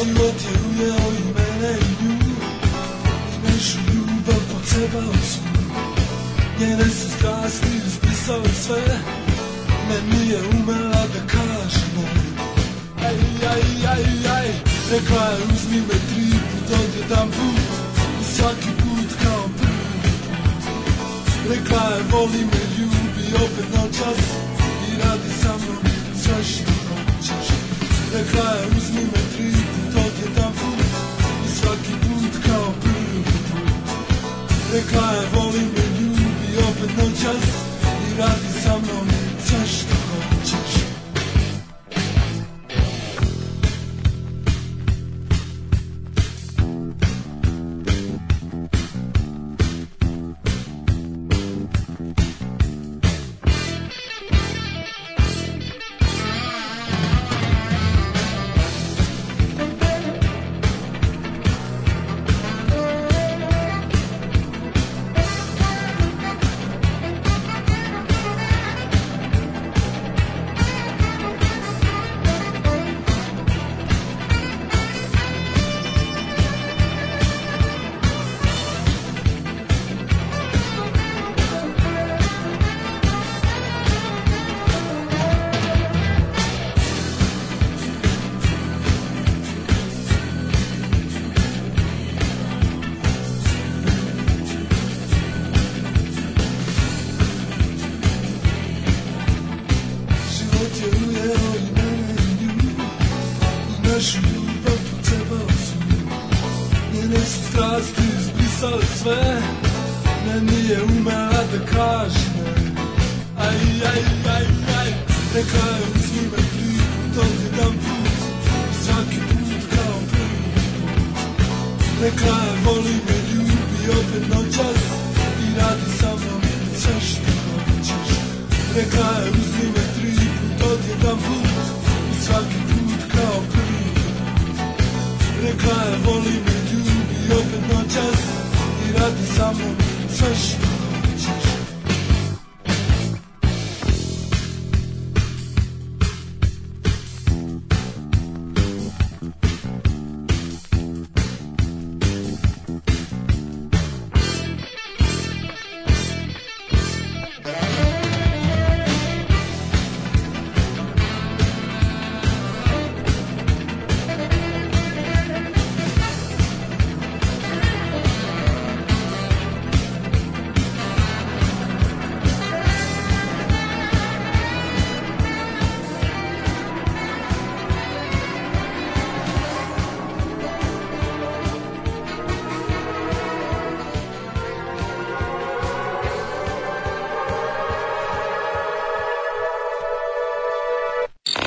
Život je ujeo i mene i nju, i našu ljubav pocebao su. Njene su strasti ispisale sve, meni je umela da kaže ne. Aj, aj, aj, aj, rekla je uzmi me 3 put od jedan put, i svaki put kao prvi put. Rekla je voli me, ljubi opet noćas, i radi sa mnom sve što hoćeš. Rekla je uzmi me 3 put od jedan put, i svaki put kao prvi put. Rekla je voli me, ljubi opet noćas, i radi sa mnom sve što hoćeš.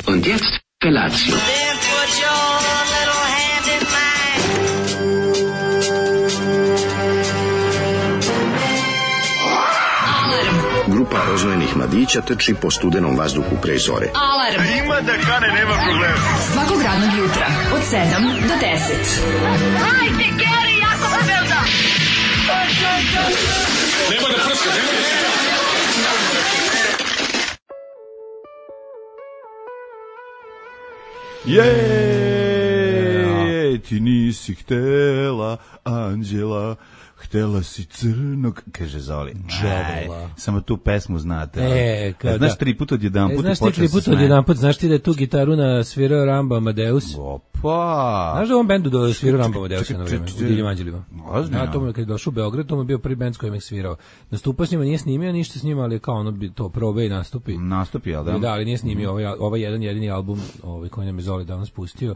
Und jetzt Felatio. Grupa oznojenih mladića trči po studenom vazduhu pre zore. Alarm! Ima da kane, nema problema. Svakog radnog jutra, od 7 do 10. Hajde, Geri, jako se velda! Nemoj da prska, nemoj da prska! Jej, ti nisi htela Anđela, htela si crnog, kaže Zoli. Samo tu pesmu znate. Znaš 3 puta od jedan put. Znaš ti 3 puta od jedan put, znaš ti da je tu gitaru svirao Ramba Amadeus? Opa! Znaš da u ovom bendu da svirao Ramba Amadeus na vreme, u Divljim anđelima? Ja, to mu je kad je došao u Beograd, to mu je bio prvi bend s kojim je svirao. Nastupao s njima, nije snimio ništa s njima, ali kao ono bi to probe i nastupi. Nastupi, jel da? Da, ali nije snimio ovaj jedan jedini album koji nam je Zoli danas pustio.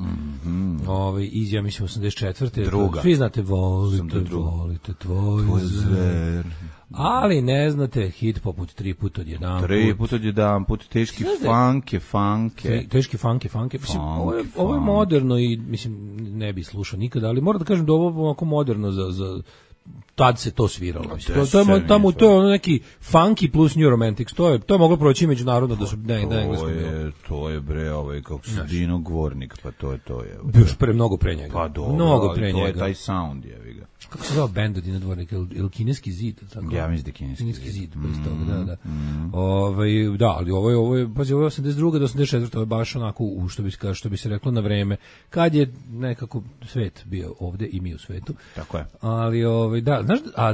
Iz, ja mislim, 84. Druga. Svi znate, volite tvoj zver. Ali ne znate hit poput 3 puta od jedan put. 3 puta od jedan put, teški funke. Teški funke. Mislim, ovo je moderno i mislim ne bi slušao nikada, ali moram da kažem da ovo je ovako moderno za tad se to sviralo. To je ono neki funky plus New Romantics. To je moglo proći međunarodno da su na engleskom. To je bre, kako se Dino Gvornik, pa to je. Još mnogo pre njega. Pa dobro, mnogo pre to njega. je taj sound, jevi ga. Kako se zove bend od Dino Dvornik? Il Kineski zid? Tako? Ja mislim da Kineski zid. Da. Da, ali ovo je 82. do 84. Ovo je baš onako, što bi se reklo, na vreme. Kad je nekako svet bio ovde i mi u svetu. Tako je. Ali, da,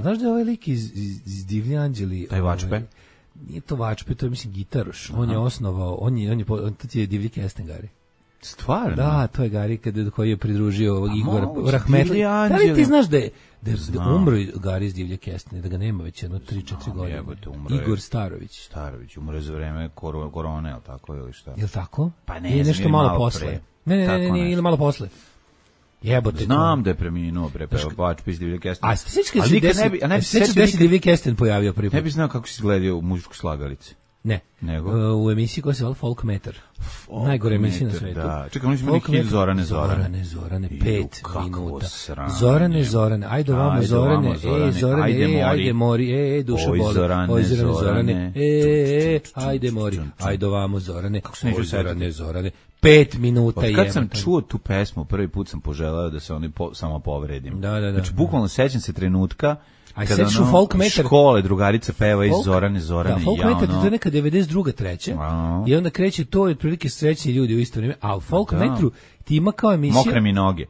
znaš da je ovaj lik iz Divlji anđeli? Taj Vačpe? Nije to Vačpe, to je, mislim, gitaroš. On je osnovao, on je Divlji Kestengari. Stvarno? Da, to je Gari koji je pridružio Igora Rahmetli. Da li ti znaš da je umro Gari iz Divlje Kestene, da ga nema već jedno 3-4 godine? Igor Starović. Umro je za vreme korone, ili tako, ili šta? Je li tako? Pa ne, je nešto malo posle. Ne, ili malo posle. Jebote. Znam da je preminuo Vačpe iz Divlje Kestene. A sećaš da se Divlji Kesten pojavio prvi put? Ne bi znao kako se izgledao u muzičkoj slagalici. Ne, u emisiji koja se zvala Folk Meter. Najgore emisija na svetu. Da. Čekaj, oni su imali hit Zorane, 5 minuta. Zorane, ajde vamo Zorane, ajde mori, duša boli. Zorane, ajde mori, ajde vamo Zorane, Zorane. 5 minuta je. Kad sam čuo tu pesmu, prvi put sam poželeo da se oni samo povredim. Da. Znači, bukvalno sećam se trenutka kada Folk Meter škole drugarica peva iz Zorane, da, Folk Meter to je neka 92. treće i onda kreće to je otprilike srećni ljudi u isto vrijeme, a u Folk Metru ti ima kao emisija Mokre mi noge.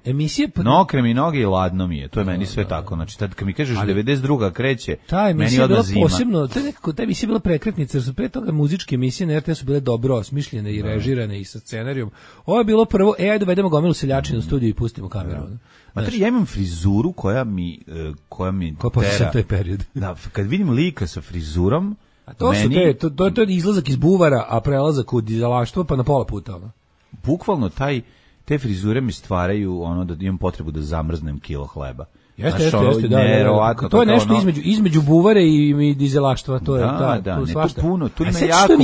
Mokre mi noge i ladno mi je. To je meni sve tako. Znači tad kad mi kažeš 92. kreće, meni odmah zima. Posebno, ta emisija je bila prekretnica, jer su pre toga muzičke emisije na RTS-u bile dobro osmišljene i režirane i sa scenarijom. Ovo je bilo prvo, ajde dovedemo gomilu seljačina u studiju i pustimo kameru. Ja imam frizuru koja mi tera. Taj period. Da, kad vidim lika sa frizurom, to je izlazak iz buvara, a prelazak u dizelaštvo pa na pola puta. Bukvalno te frizure mi stvaraju da imam potrebu da zamrznem kilo hleba. Jeste, da. To je nešto između buvare i dizelaštva, to je tu ima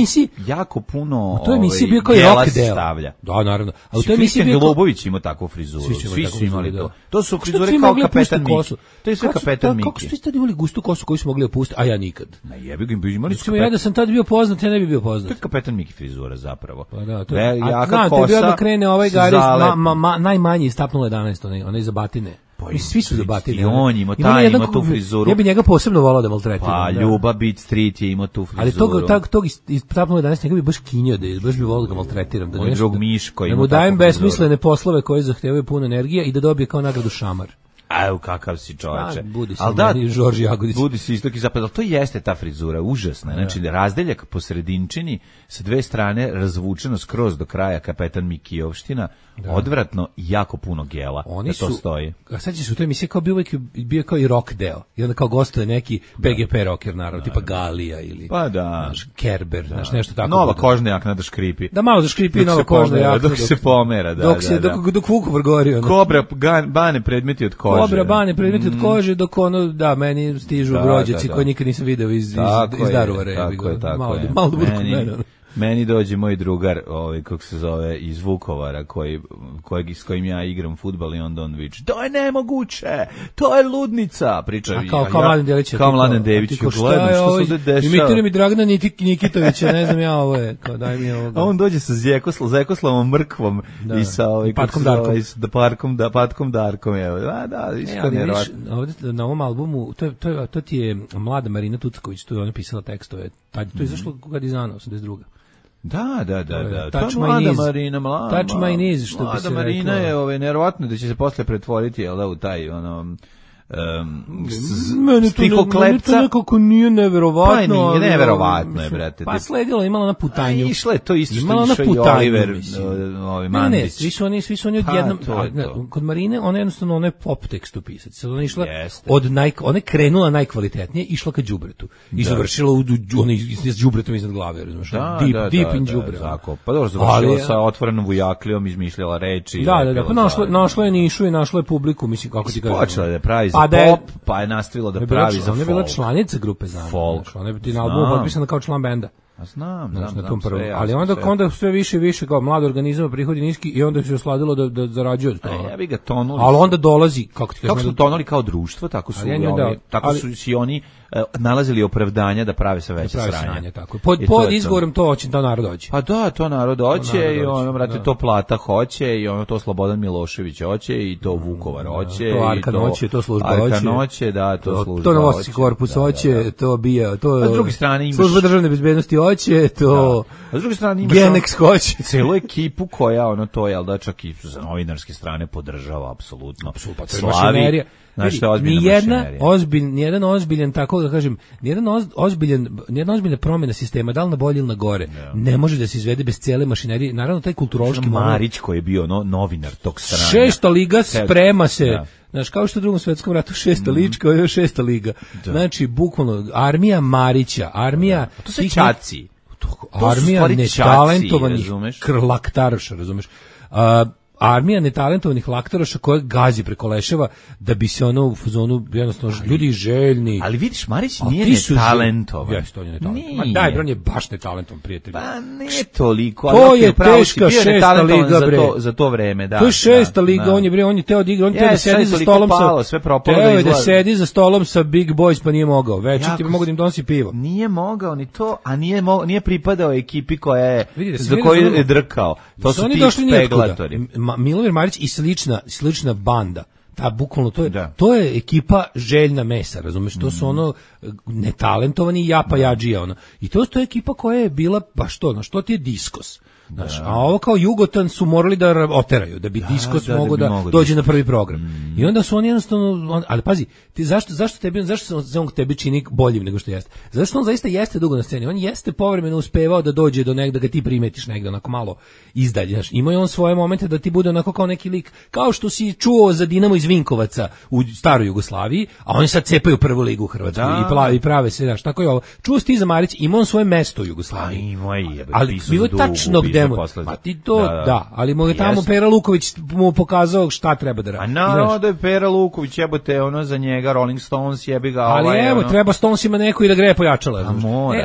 jako puno. To je emisija bio kao i rock deo. Da, naravno. A u toj emisiji bio Globović ima takvu frizuru. Svi su imali to. To su frizure kao Kapetan Miki. To je sve Kapetan Miki. Kako ste imali gustu kosu koju su mogli opustiti, a ja nikad. Ne, jebi ga, imali su. Ja da sam tad bio poznat, ja ne bi bio poznat. To je Kapetan Miki frizura zapravo. Pa da, to je. Jaka kosa. Bio da krene ovaj Gari najmanji istapnulo 11, onaj za batine. Svi su zabatili. On ima tu frizuru. Ja bi njega posebno volao da maltretiram. Pa Ljuba Beat Street je imao tu frizuru. Ali tog istapnulo 11 njega bi baš kinio, baš bi volao da ga maltretiram. Moj drug Miško ima da mu dajem besmislene poslove koje zahtevaju puno energije i da dobije kao nagradu šamar. Evo kakav si čoveče. Budi se meni Žorž Jagodić. Budi se istok i zapad, ali to jeste ta frizura, užasna. Znači, razdeljak po sredinčini, sa dve strane razvučeno skroz do kraja Kapetan Mikijovština, odvratno i jako puno gela. Oni to stoji. A sad će se u toj emisiji kao bio kao i rock deo. I onda kao gostuje neki PGP rocker, naravno, tipa Galija ili Kerber, nešto tako. Nova kožna jakna da škripi. Da malo da škripi nova kožna jakna. Dok se pomera, dok Vukovar gori. Kobra bane predmeti od kože. Kobra bane predmeti od kože, dok meni stižu brođaci koje nikad nisam video iz Daruvara. Tako malo je. Da budu kod mene. Meni dođe moj drugar, kako se zove, iz Vukovara, s kojim ja igram fudbal i on viče, to je nemoguće, to je ludnica, priča. Kao Mladen Delić. Kao Mladen Dević, gledam što se dešava. Imitira mi Dragana Nikitovića, ne znam ja, ovo je, kao daj mi ovoga. A on dođe sa Zekoslavom Mrkvom i sa Patkom Darkom, evo. Da, isto nevjerojatno. Ovdje na ovom albumu, to ti je mlada Marina Tucaković, tu je ona pisala tekstove, to je izašlo kad je izdano, 82. Da. Touch mlada Marina, Touch my knees, što bi se reklo. Mlada Marina je nevjerovatno da će se posle pretvoriti, u taj, meni to nekako nije neverovatno. Pa nije neverovatno je, brate. Pa sledilo, imala na putanju. Pa išle to isto što išao i Oliver Mandić. Svi su oni odjednom. Kod Marine, ona jednostavno, ona je pop tekstu pisati. Sad ona išla ona je krenula najkvalitetnije, išla ka đubretu. I završila s đubretom iznad glave, razumiješ? Deep in đubre. Pa dobro, završila sa otvorenom vujaklijom, izmišljala reči. Da, pa našla je nišu i našla je publiku, mislim, kako ti kažem. Počela da pravi pop, pa je nastavila da pravi za folk. Ona je bila članica grupe Znamo. Folk. Ona je na albumu potpisana kao član benda. Znam na tom prvom. Sve, ali onda sve više i više kao mlad organizam, prihodi niski i onda se osladilo da zarađuje od toga. Ja bi ga tonuli. Ali onda dolazi, kako su tonuli kao društvo, tako su i oni nalazili opravdanja da prave sve veće sranje. Tako. Pod izgovorom to hoće, to narod hoće. Pa da, to narod hoće i ono, brate, to Plata hoće i ono, to Slobodan Milošević hoće i to Vukovar hoće. To Arkan hoće, to služba hoće. Arkan hoće, da, to služba hoće. To Novosadski korpus hoće, to bija, to... A s druge strane imaš... Služba državne bezbednosti hoće, to... A s druge strane imaš... Genex hoće. Celu ekipu koja, ono, to, jel da, čak i sa novinarske strane podržava, apsolutno. Slavi. Nijedan ozbiljan, tako da kažem, nijedna ozbiljna promjena sistema, da li na bolje ili na gore, ne može da se izvede bez cele mašinerije. Naravno, taj kulturološki Marić koji je bio novinar tog strana. 6. liga sprema se, znaš, kao što u Drugom svetskom ratu 6. lička, ovo je 6. liga. Znači, bukvalno, armija Marića, armija... To se čaci. Armija netalentovanih laktaroša, razumeš? Armija netalentovanih laktaroša koja gazi preko leševa da bi se ono u fazonu jednostavno ljudi željni. Ali vidiš, Marić nije netalentovan. Jeste, on je netalentovan. Ma daj, on je baš netalentovan, prijatelj. Pa nije toliko. To je teška 6. liga, bre. Za to vreme, da. To je 6. liga, on je teo da igra, on je teo da sedi za stolom da sedi za stolom sa Big Boys, pa nije mogao. Već ti mogu da im donosi pivo. Nije mogao ni to, a nije pripadao ekipi koja je za koju je drkao. To su ti peglatori. Milomir Marić i slična banda. Ta bukvalno to je ekipa željna mesa, razumeš? To su ono netalentovani japadžija, ono. I to je ekipa koja je bila baš to, što ti je diskos. Znaš, a ovo kao Jugotan su morali da oteraju, da bi diskos mogao da dođe na prvi program. I onda su oni jednostavno, ali pazi, zašto se on tebi čini boljim nego što jeste? Zašto on zaista jeste dugo na sceni? On jeste povremeno uspevao da dođe do negde, da ga ti primetiš negde, onako malo izdalje. Znaš, ima je on svoje momente da ti bude onako kao neki lik, kao što si čuo za Dinamo iz Vinkovaca u staroj Jugoslaviji, a oni sad cepaju prvu ligu u Hrvatskoj i prave se, znaš, tako je ovo. Čuo si ti za Marić, ima on svoje mesto u Jugoslaviji. Ali bilo je tačno pa ti to, ali mu je tamo Pera Luković mu pokazao šta treba da radi. A naravno da je Pera Luković, jebote, ono za njega Rolling Stones jebi ga. Ali evo, treba Stonesima neko i da greje pojačala.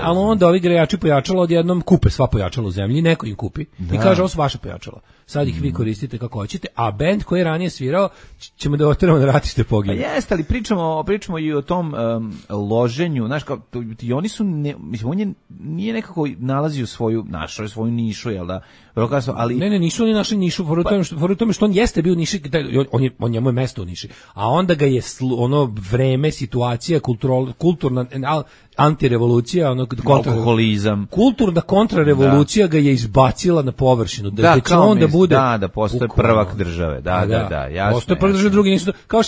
Ali onda ovi grejači pojačala odjednom kupe sva pojačala u zemlji i neko im kupi i kaže ovo su vaše pojačala. Sad ih vi koristite kako hoćete, a bend koji je ranije svirao ćemo da oteramo na ratište pogine. Pa jeste, ali pričamo i o tom loženju, znaš, kao, i oni su, mislim, on nije nekako nalazio svoju nišu, jel da? Ali... Ne, nisu oni našli nišu, u tome što on jeste bio u niši, on njemu je mesto u niši, a onda ga je ono vreme, situacija, kulturna antirevolucija, alkoholizam, kulturna kontrarevolucija ga je izbacila na površinu, da će on da bude da postoje prvak države, da, jasno. Postoje prvak države, drugi nisu, kao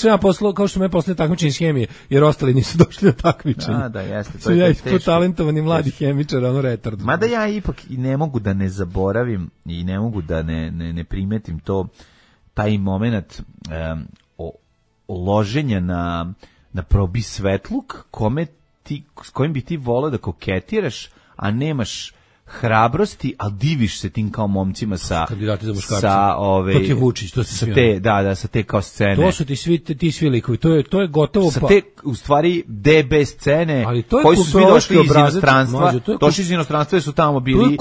što me poslije takmičenje iz hemije, jer ostali nisu došli na takmičenje. Da, jeste, to je teško. Ja talentovani mladi hemičar, ono retard. Mada ja ipak i ne mogu da ne zaboravim i ne mogu da ne primetim taj moment loženja na probi svetluk s kojim bi ti voleo da koketiraš, a nemaš hrabrosti, ali diviš se tim kao momcima sa to ti je Vučić, to se sa te kao scene. To su ti svi likovi, to je gotovo sa te u stvari DB scene koji su svi došli iz inostranstva. Došli iz inostranstva su tamo bili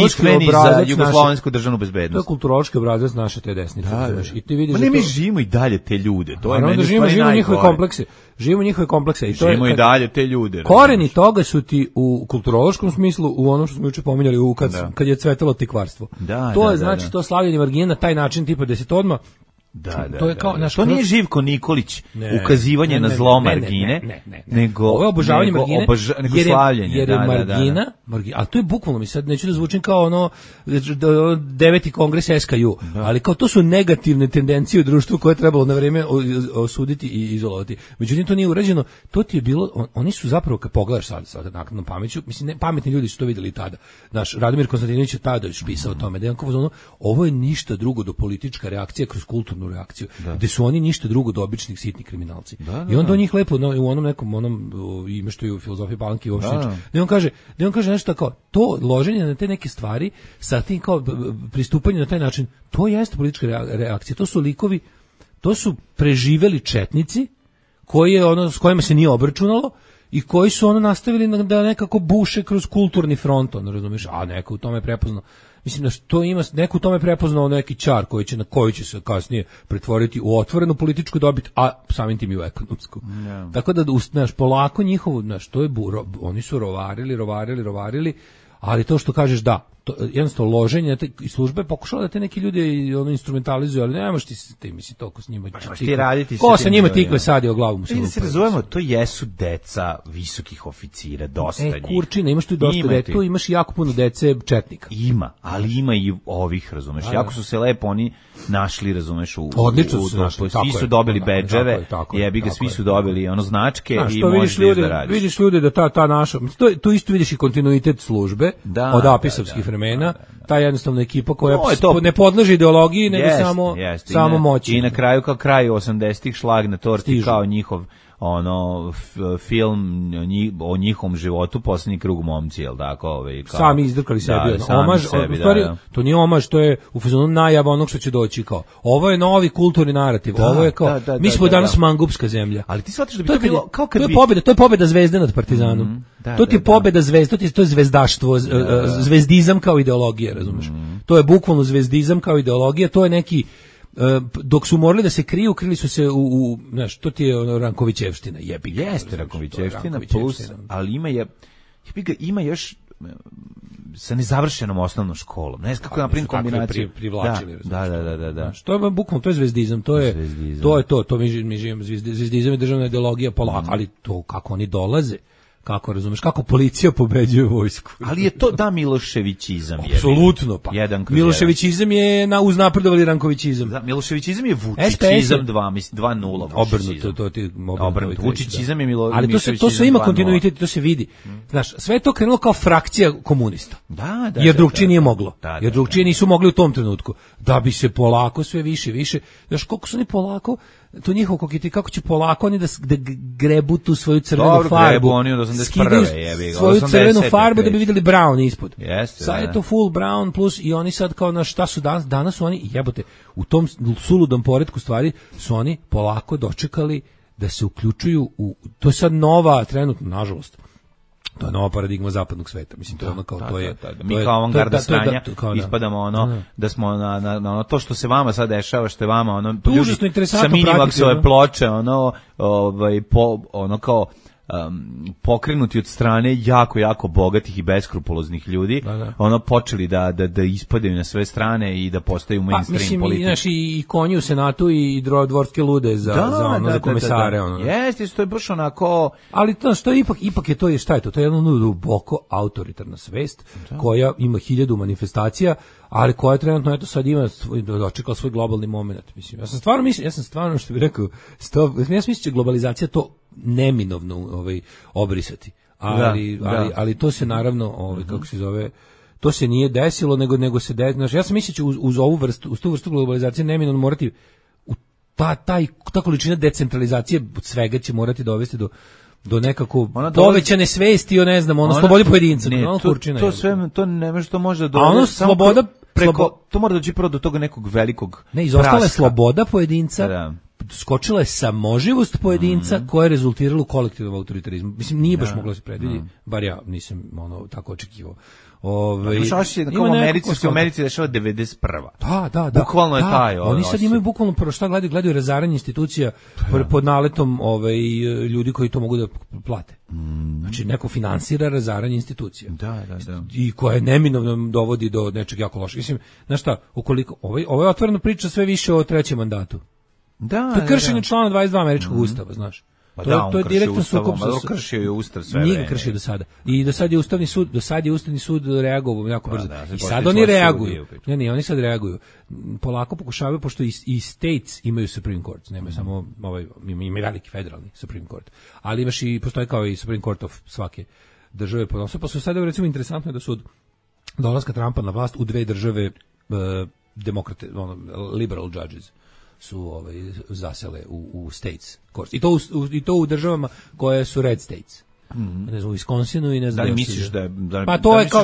hitmeni za jugoslovensku državnu bezbednost. To je kulturološki obrazac naše te desnice. I ti vidiš da mi živimo i dalje te ljude. To je meni živimo njihove komplekse. Živimo njihove komplekse i to živimo i dalje te ljude. Koreni toga su ti u kulturološkom smislu, u onom što smo juče pominjali kad je cvetalo tikvarstvo. To je znači to slavljenje margina na taj način tipa 10 odma. To je kao to nije Živko Nikolić ukazivanje na zlo margine, nego ovo je obožavanje margine, slavljenje. Jer je margina, a to je bukvalno, mi sad neću da zvučim kao ono 9. kongres SKU, ali kao to su negativne tendencije u društvu koje je trebalo na vreme osuditi i izolovati. Međutim, to nije urađeno, to ti je bilo, oni su zapravo, kad pogledaš sad nakon pameću, mislim, pametni ljudi su to vidjeli tada. Naš Radomir Konstantinović je tada pisao o tome, da je ovo je ništa drugo do politička reakcija kroz kulturnu reakciju, gde su oni ništa drugo do običnih sitnih kriminalci. I onda on njih lepo u onom nekom ime što je u filozofiji Palanke i Ovšnić, da on kaže nešto tako, to loženje na te neke stvari sa tim kao pristupanje na taj način, to jeste politička reakcija, to su likovi, to su preživeli četnici koji je s kojima se nije obračunalo i koji su ono nastavili da nekako buše kroz kulturni front, ono, razumiješ, a neko u tome prepoznao. Mislim da što ima, neko u tome prepoznao neki čar koji će se kasnije pretvoriti u otvorenu političku dobit, a samim tim i u ekonomsku. Yeah. Tako da, znaš, polako njihovo, znaš, to je oni su rovarili, ali to što kažeš da, to, jednostavno loženje i službe pokušala da te neki ljudi ono instrumentalizuju, ali nemaš ti misli toliko s njima. Ti raditi ko sa njima tikve sadi o glavu mu se. Da se razumemo, to jesu deca visokih oficira, dosta njih. Kurčina, imaš tu dosta dece, tu imaš jako puno dece četnika. Ima, ali ima i ovih, razumeš. Jako su se lepo oni našli, razumeš, odlično su našli, svi su dobili bedževe, jebi ga, svi su dobili ono značke i možeš da radiš. Vidiš ljude da ta naša, to isto vidiš i kontinuitet službe od apisovskih vremena, ta jednostavna ekipa koja ne podleže ideologiji, nego samo moći. I na kraju kao kraju 80-ih šlag na torti kao njihov ono film o njihovom životu, Posljednji krug momci, jel tako, kao sami izdrkali sebi, omaž, u stvari to nije omaž, to je u fazonu najava onog što će doći, kao ovo je novi kulturni narativ, ovo je kao mi smo danas mangupska zemlja. Ali ti shvatiš da bi to bilo kao kad to je pobeda Zvezde nad Partizanom. To ti je pobeda Zvezde, to je zvezdaštvo, zvezdizam kao ideologija, razumeš? To je bukvalno zvezdizam kao ideologija, to je neki dok su morali da se krili su se znaš, to ti je ono Rankovićevština, jebi ga. Jeste Rankovićevština plus, ali ima još sa nezavršenom osnovnom školom. Ne znam kako napravim kombinaciju. Privlačili. Da. Što je bukvalno, to je zvezdizam, to je to mi živimo, zvezdizam je državna ideologija polako, ali to kako oni dolaze, kako razumeš, kako policija pobeđuje vojsku. Ali je to Miloševićizam. Apsolutno, pa. Miloševićizam je uznapredovali Rankovićizam. Da, Miloševićizam je Vučićizam 2.0. Obrnuto, to ti obrnuto. Vučićizam je Miloševićizam. Ali to sve ima kontinuitet, to se vidi. Znaš, sve je to krenulo kao frakcija komunista. Da. Jer drugčije nije moglo. Jer drugčije nisu mogli u tom trenutku. Da bi se polako sve više. Znaš, koliko su oni polako to njihovo kako će polako oni da grebu tu svoju crvenu farbu. Grebu oni od 81. jebi ga. Svoju crvenu farbu da bi vidjeli brown ispod. Jeste. Sad je to full brown plus i oni sad kao na šta su danas su oni jebote u tom suludom poretku stvari su oni polako dočekali da se uključuju u to je sad nova trenutno nažalost. To je nova paradigma zapadnog sveta. Mislim, to je ono kao to je. Mi kao avangarda stranja ispadamo ono da smo na ono to što se vama sad dešava, što je vama ono užasno interesantno sa Minimaxove ploče, ono kao pokrenuti od strane jako bogatih i beskrupuloznih ljudi, ono počeli da ispadaju na sve strane i da postaju mainstream politike. Mislim, i konji u Senatu i dvorske lude za komesare. Jeste, to je baš onako. Ali to što ipak je to, šta je to? To je jedno duboko autoritarna svest koja ima 1000 manifestacija, ali koja trenutno eto sad ima dočekala svoj globalni moment. Mislim, ja sam stvarno što bih rekao, ja mislim će globalizacija to neminovno obrisati. Ali to se naravno, kako se zove, to se nije desilo, nego se desilo. Ja sam mislio će uz tu vrstu globalizacije neminovno morati ta količina decentralizacije svega će morati dovesti do nekako povećane svesti o ne znam, slobodi pojedinca. To ne može, to može da sloboda to mora doći prvo do toga nekog velikog. Ne, izostala je sloboda pojedinca. Skočila je samoživost pojedinca koja je rezultirala u kolektivnom autoritarizmu. Mislim, nije baš moglo se predvidjeti, bar ja nisam tako očekivao. U Americi dešava 91. Da. Bukvalno je taj. Oni sad imaju bukvalno prvo šta gledaju razaranje institucija pod naletom ljudi koji to mogu da plate. Znači, neko finansira razaranje institucija. Da. I koje neminovno dovodi do nečeg jako lošeg. Mislim, znaš šta, ukoliko ovo je otvorena priča sve više o trećem mandatu. Da, to je kršenje člana 22 američkog ustava, znaš. To je direktno sukob sa kršio je ustav sve. Nije kršio do sada. I do sad je Ustavni sud reagovao jako brzo. I sad oni reaguju. Ne, oni sad reaguju. Polako pokušavaju, pošto i states imaju Supreme Court, nemaju samo ima veliki federalni Supreme Court. Ali imaš i postoji kao i Supreme Court of svake države ponosno. Pa su sada recimo interesantno da su od dolaska Trumpa na vlast u dve države demokrate, liberal judges su zasele u states courts. I to u državama koje su red states. Ne znam, u Wisconsinu i ne znam. Da li misliš da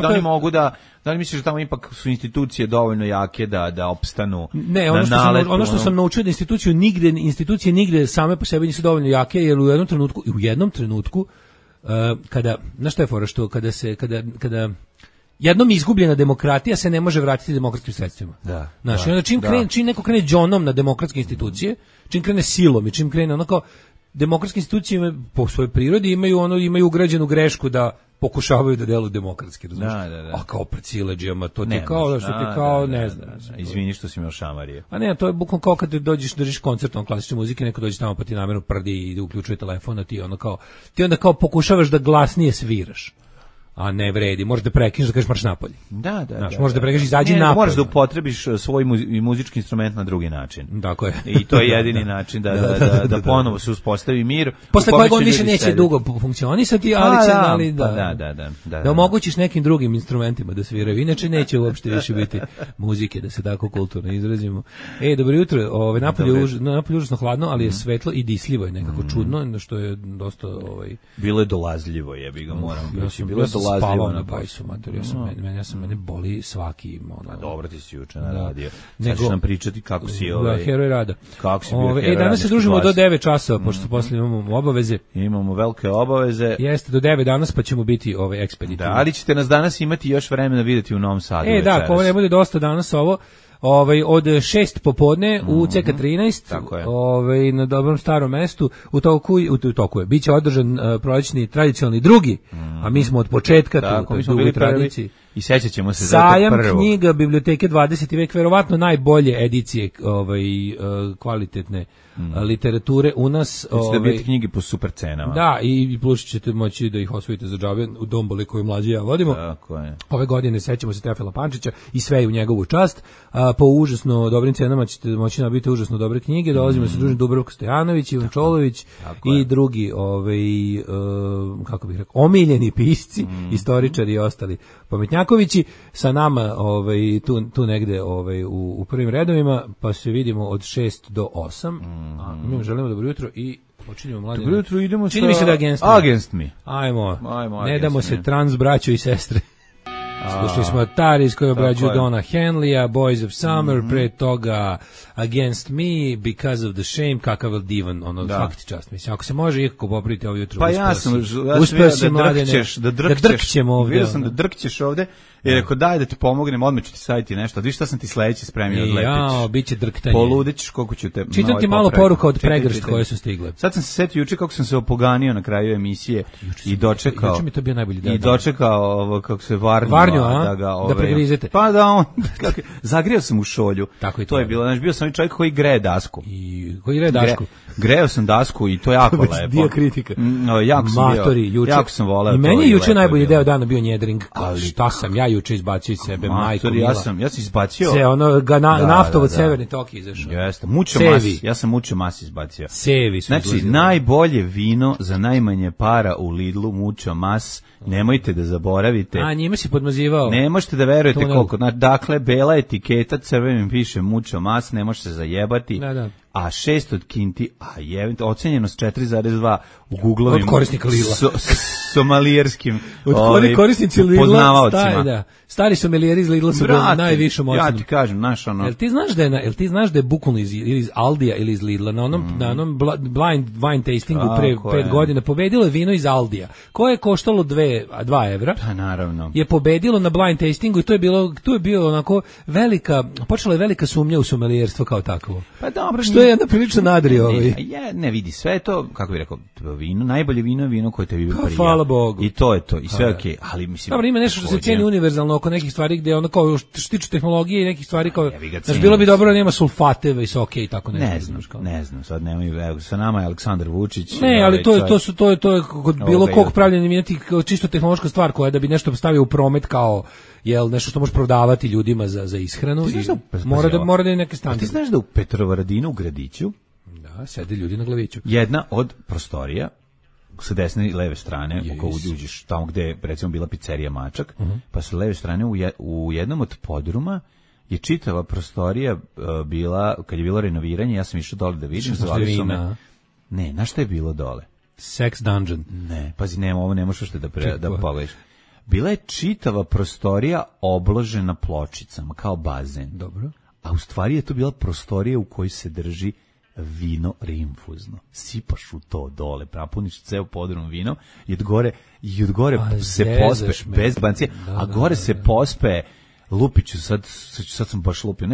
oni mogu da li misliš da tamo ipak su institucije dovoljno jake da opstanu? Ne, ono što sam naučio da institucije nigde same po sebi nisu dovoljno jake, jer u jednom trenutku znaš šta je fora, što kada jednom izgubljena demokratija se ne može vratiti demokratskim sredstvima. Da. Znači, onda čim neko krene džonom na demokratske institucije, čim krene silom i čim krene ono kao demokratske institucije po svojoj prirodi imaju ugrađenu grešku da pokušavaju da deluju demokratski, razumiješ? A kao pred sileđijama, to ti kao, što ti kao, ne znam. Izvini što si me ošamarije. A ne, to je bukvalno kao kad držiš koncert klasične muzike, neko dođe tamo pa ti namjerno prdi i uključuje telefon, a ti onda kao pokušavaš da glasnije sviraš. A ne vredi, možeš da prekineš da kažeš marš napolje. Možeš da prekineš izađi napolje. Možeš da upotrebiš svoj muzički instrument na drugi način. Tako je. I to je jedini način da ponovo se uspostavi mir. Posle kojeg on više neće dugo funkcionisati, ali da omogućiš nekim drugim instrumentima da sviraju. Inače neće uopšte više biti muzike, da se tako kulturno izrazimo. Dobro jutro, napolje užasno hladno, ali je svetlo i disljivo je nekako čudno, što je dosta bilo je dolazljivo, jebi ga, moram reći. Bilo je spavao na bajsu, mater, mene boli svaki dobro ti si juče naradio. Sad ćeš nam pričati kako si heroj rada. Kako si bio heroj. Danas se družimo do 9 časova, pošto posle imamo obaveze. Imamo velike obaveze. Jeste, do 9 danas pa ćemo biti ekspeditivni. Da, ali ćete nas danas imati još vremena vidjeti u Novom Sadu večeras. Ako ne bude dosta danas ovo, od 6 popodne u CK13, na dobrom starom mestu, u toku je. Biće održan prolećni tradicionalni drugi, a mi smo od početka tu, mi smo bili tradiciji. I sećat ćemo se sajam knjiga biblioteke 20. vek, verovatno najbolje edicije kvalitetne literature u nas. Ćete biti knjige po super cenama. Da, i plus ćete moći da ih osvojite za džabe u Domboli koju mlađi ja vodimo. Tako je. Ove godine sećamo se Teofila Pančića i sve je u njegovu čast. Po užasno dobrim cenama ćete moći nabiti užasno dobre knjige. Dolazimo se družiti Dubravko Stojanović, Ivan Čolović i drugi kako bih rekao, omiljeni pisci, istoričari i ostali pametnjakovići sa nama tu negde u prvim redovima, pa se vidimo od 6 do 8. Mi želimo dobro jutro i počinjemo mladine. Dobro jutro, idemo čini mi se da Against Me. Ajmo ne damo se trans braćo i sestre. Slušali smo Taris koji obrađuju Donna Henleya, Boys of Summer, pre toga Against Me, Because of the Shame, kakav divan, svaki čast. Mislim, ako se može ikako popraviti ovo jutro, pa ja sam da drkćemo ovdje. Vidio sam da drkćeš ovdje. I rekao, daj da ti pomognem, odmah ću ti savjeti nešto. Viš šta sam ti sledeći spremio od Lepić. Biće drktanje. Poludećeš koliko ću te... Čitam ti malo poruka od pregršt koje su stigle. Sad sam se setio juče kako sam se opoganio na kraju emisije i dočekao... Juče mi to bio najbolji dan. I dočekao kako se Varnju, da pregrizete. Pa da on... Zagrijao sam u šolju. Tako to je bilo. Znači, bio sam čovjek koji greje dasku. Koji greje dasku? Greo sam dasku i to jako lepo. Dio kritika. Jako sam voleo. I meni je juče najbolji deo dana bio njedring. Šta sam ja juče izbacio iz sebe, majko mila. Ja sam izbacio. Naftovod Severni tok izašao. Jeste, mučo mas. Ja sam mučo mas izbacio. Sevi su znači, najbolje vino za najmanje para u Lidlu, mučo mas. Nemojte da zaboravite. Njime si podmazivao. Ne možete da verujete koliko. Dakle, bela etiketa, crvenim piše mučo mas, ne može se zajebati. Da. A 6 od kinti, ocenjeno s 4,2 u Googlovim od korisnika Lidla. Somalijerskim korisnici Lidla, poznavaocima. Stari somalijeri iz Lidla su najvišom ocenom. Ja ti kažem, Jel ti znaš da je bukvalno iz Aldija ili iz Lidla na onom blind wine tastingu pre 5 godina pobedilo je vino iz Aldija, koje je koštalo 2 evra. Pa naravno. Je pobedilo na blind tastingu i tu je bilo onako počela je velika sumnja u somalijerstvo kao takvo. Pa dobro, što je prilično nadri ne vidi, sve je to, kako bih rekao, vino, najbolje vino koje te bi prija. Hvala Bogu. I to je to, i sve okej, ali mislim... Dobro, ima nešto što se cijeni univerzalno oko nekih stvari gde ono kao što se tiče tehnologije i nekih stvari kao... Znači, bilo bi dobro da nema sulfate visoke i tako nešto. Ne znam, sad nemaju, sa nama je Aleksandar Vučić. Ne, ali to je kod bilo kog pravljenja imati čisto tehnološka stvar koja da bi nešto stavio u promet kao nešto što možeš prodavati ljudima za ishranu i mora da je neke standarde. Ti znaš da u Petrovaradinu u gradiću sede ljudi na glaviću. Jedna od prostorija sa desne i leve strane, ako uđeš tamo gde je recimo bila pizzerija Mačak, pa sa leve strane u jednom od podruma je čitava prostorija bila, kad je bilo renoviranje, ja sam išao dole da vidim, zvali su me. Ne, znaš šta je bilo dole? Sex dungeon. Ne, pazi, ovo ne možeš da pogledaš. Bila je čitava prostorija obložena pločicama, kao bazen. Dobro. A u stvari je to bila prostorija u kojoj se drži vino rinfuzno. Sipaš u to dole, napuniš ceo podrum vino i od gore se pospe, bez bancije, a gore se pospe, lupiću, sad sam baš lupio,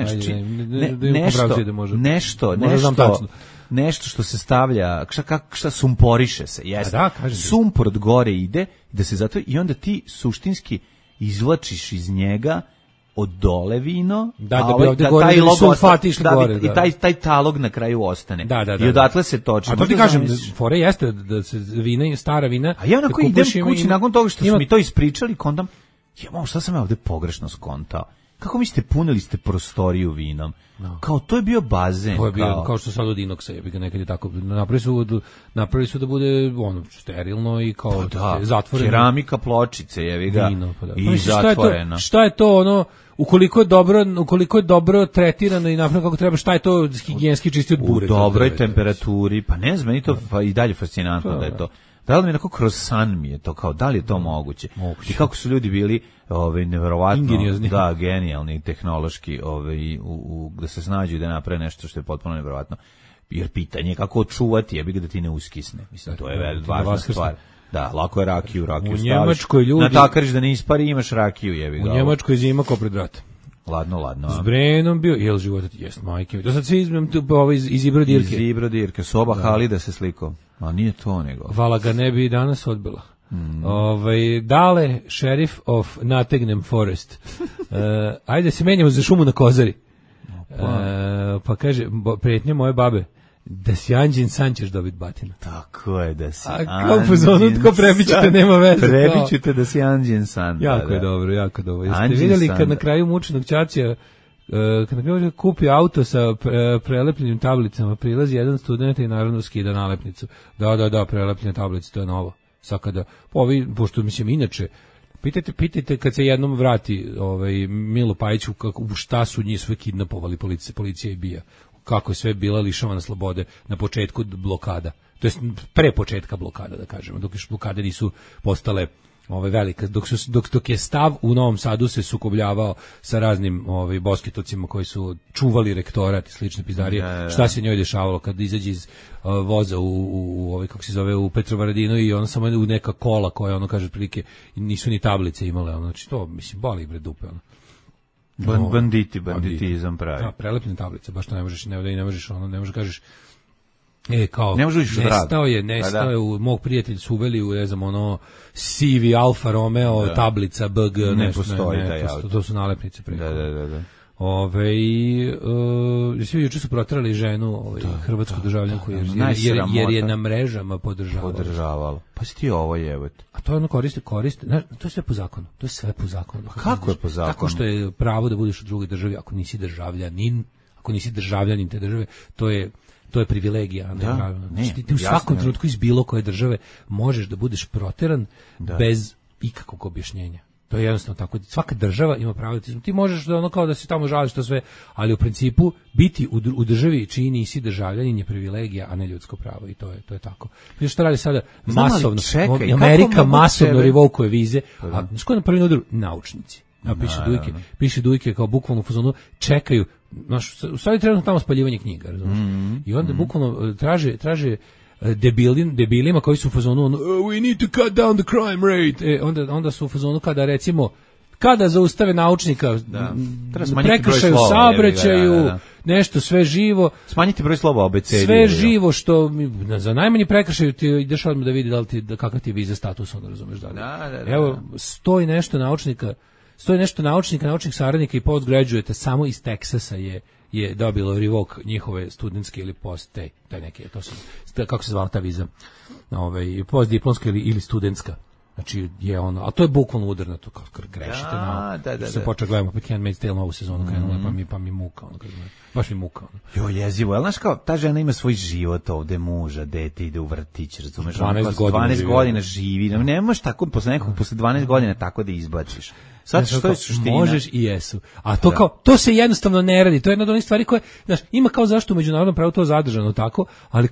nešto što se stavlja, šta sumporiše se, jeste. Sumpor od gore ide, da se zato, i onda ti suštinski izvlačiš iz njega od dole vino, da bi ovde gore sulfati išli gore. I taj talog na kraju ostane. I odatle se toči. A to ti kažem, fore jeste da se vina, stara vina... A ja onako idem kući nakon toga što su mi to ispričali, kondam, šta sam ja ovde pogrešno skontao? Kako mislite, punili ste prostoriju vinom? Kao, to je bio bazen. To je bio, kao što sad od inoksa, jebi ga nekad je tako, napravili su da bude sterilno i kao zatvoreno. Keramika, pločice, jebi ga, i zatvoreno. Šta je to ono, ukoliko je dobro tretirano i napravljeno kako treba, šta je to higijenski čisti od bure? U dobroj temperaturi, pa ne znam, meni to i dalje fascinantno da je to. Da li mi onako kroz san mi je to, kao da li je to moguće? I kako su ljudi bili neverovatno, da, genijalni, tehnološki, da se snađu i da naprave nešto što je potpuno neverovatno. Jer pitanje je kako očuvati, jebi ga da ti ne uskisne. Mislim, to je važna stvar. Da, lako je rakiju staviš. Natakariš da ne ispari, imaš rakiju, jebi ga. U Njemačkoj zima ko pred rat. Ladno. S Brenom bio, jel život, jest, majke. To sad svi iz Ibrodirke. Iz Ibrodirke, soba Halida se sliko. A nije to nego. Vala ga ne bi danas odbila. Dale, sheriff of Nottingham Forest. Ajde se menjamo za šumu na Kozari. Pa kaže, pretnje moje babe, da si anđin san ćeš dobiti batinu. Tako je, da si anđin san. A kao pozonu, tko prebićete, nema veze. Prebićete da si anđin san. Jako je dobro. Jeste vidjeli kad na kraju mučenog Čačija, kad na kraju kupi auto sa prelepljenim tablicama, prilazi jedan student i naravno skida nalepnicu. Da, prelepljene tablice, to je novo. Sad kada, pošto mislim inače, pitajte kad se jednom vrati Milo Pajić u šta su njih sve kidnapovali policija i bija. Kako je sve bila lišavana slobode na početku blokada. To jest pre početka blokada, da kažemo, dok još blokade nisu postale velika, dok je stav u Novom Sadu se sukobljavao sa raznim bosketocima koji su čuvali rektorat i slične pizdarije. Šta se njoj dešavalo kad izađe iz voza kako se zove, u Petrovaradinu i ona samo u neka kola koja ono kaže otprilike nisu ni tablice imale, znači to mislim boli bre dupe ono. Banditizam pravi. Da, prelepljene tablice, baš to ne možeš, ne možeš kažeš kao nestao je u mog prijatelja su uveli u CV Alfa Romeo tablica BG, ne postoji to su nalepnice preko. Da. Svi juče su proterali ženu hrvatsku državljanku jer je na mrežama podržavala. Pa si ti ovo jebate. A to ono koriste, to je sve po zakonu. To je sve po zakonu. Pa kako je po zakonu? Tako što je pravo da budeš u drugoj državi ako nisi državljanin te države, to je privilegija. Ti u svakom trenutku iz bilo koje države možeš da budeš proteran bez ikakvog objašnjenja. To je jednostavno tako. Svaka država ima pravo. Ti možeš da ono kao da se tamo žališ to sve, ali u principu biti u državi čiji nisi državljanin je privilegija, a ne ljudsko pravo. I to je tako. Znači što radi sada masovno? Amerika masovno revokuje vize. A znaš ko je na prvi udaru? Naučnici. Piše Dujke kao bukvalno u fazonu čekaju. U stvari trenutno tamo spaljivanje knjiga, razumiješ? I onda bukvalno traže debilima koji su u fazonu we need to cut down the crime rate. Onda su u fazonu kada zaustave naučnika prekršaju u saobraćaju, nešto sve živo. Smanjiti broj slova abecedije. Sve živo što za najmanji prekršaj ti ideš odmah da vidi kakav ti je viza status, onda razumeš da li. Evo, stoji nešto naučnih saradnika i postgraduate samo iz Teksasa je dobilo revok njihove studentske ili taj neki, kako se zvala ta viza, postdiplomska ili studentska. Znači je ono, a to je bukvalno udar na to, kao grešite da se počeo gledamo opet Handmaid's Tale novu sezonu krenula, pa mi muka ono, baš mi muka ono. Jezivo, znaš kao, ta žena ima svoj život ovde, muža, dete, ide u vrtić, razumeš, 12 godina živi, ne možeš tako posle 12 godina tako da izbaciš. Sad što je suština? Možeš i jesu. A to kao, to se jednostavno ne radi. To je jedna od onih stvari koje, znaš, ima kao zašto u međunarodnom pravu to zadržano tako, ali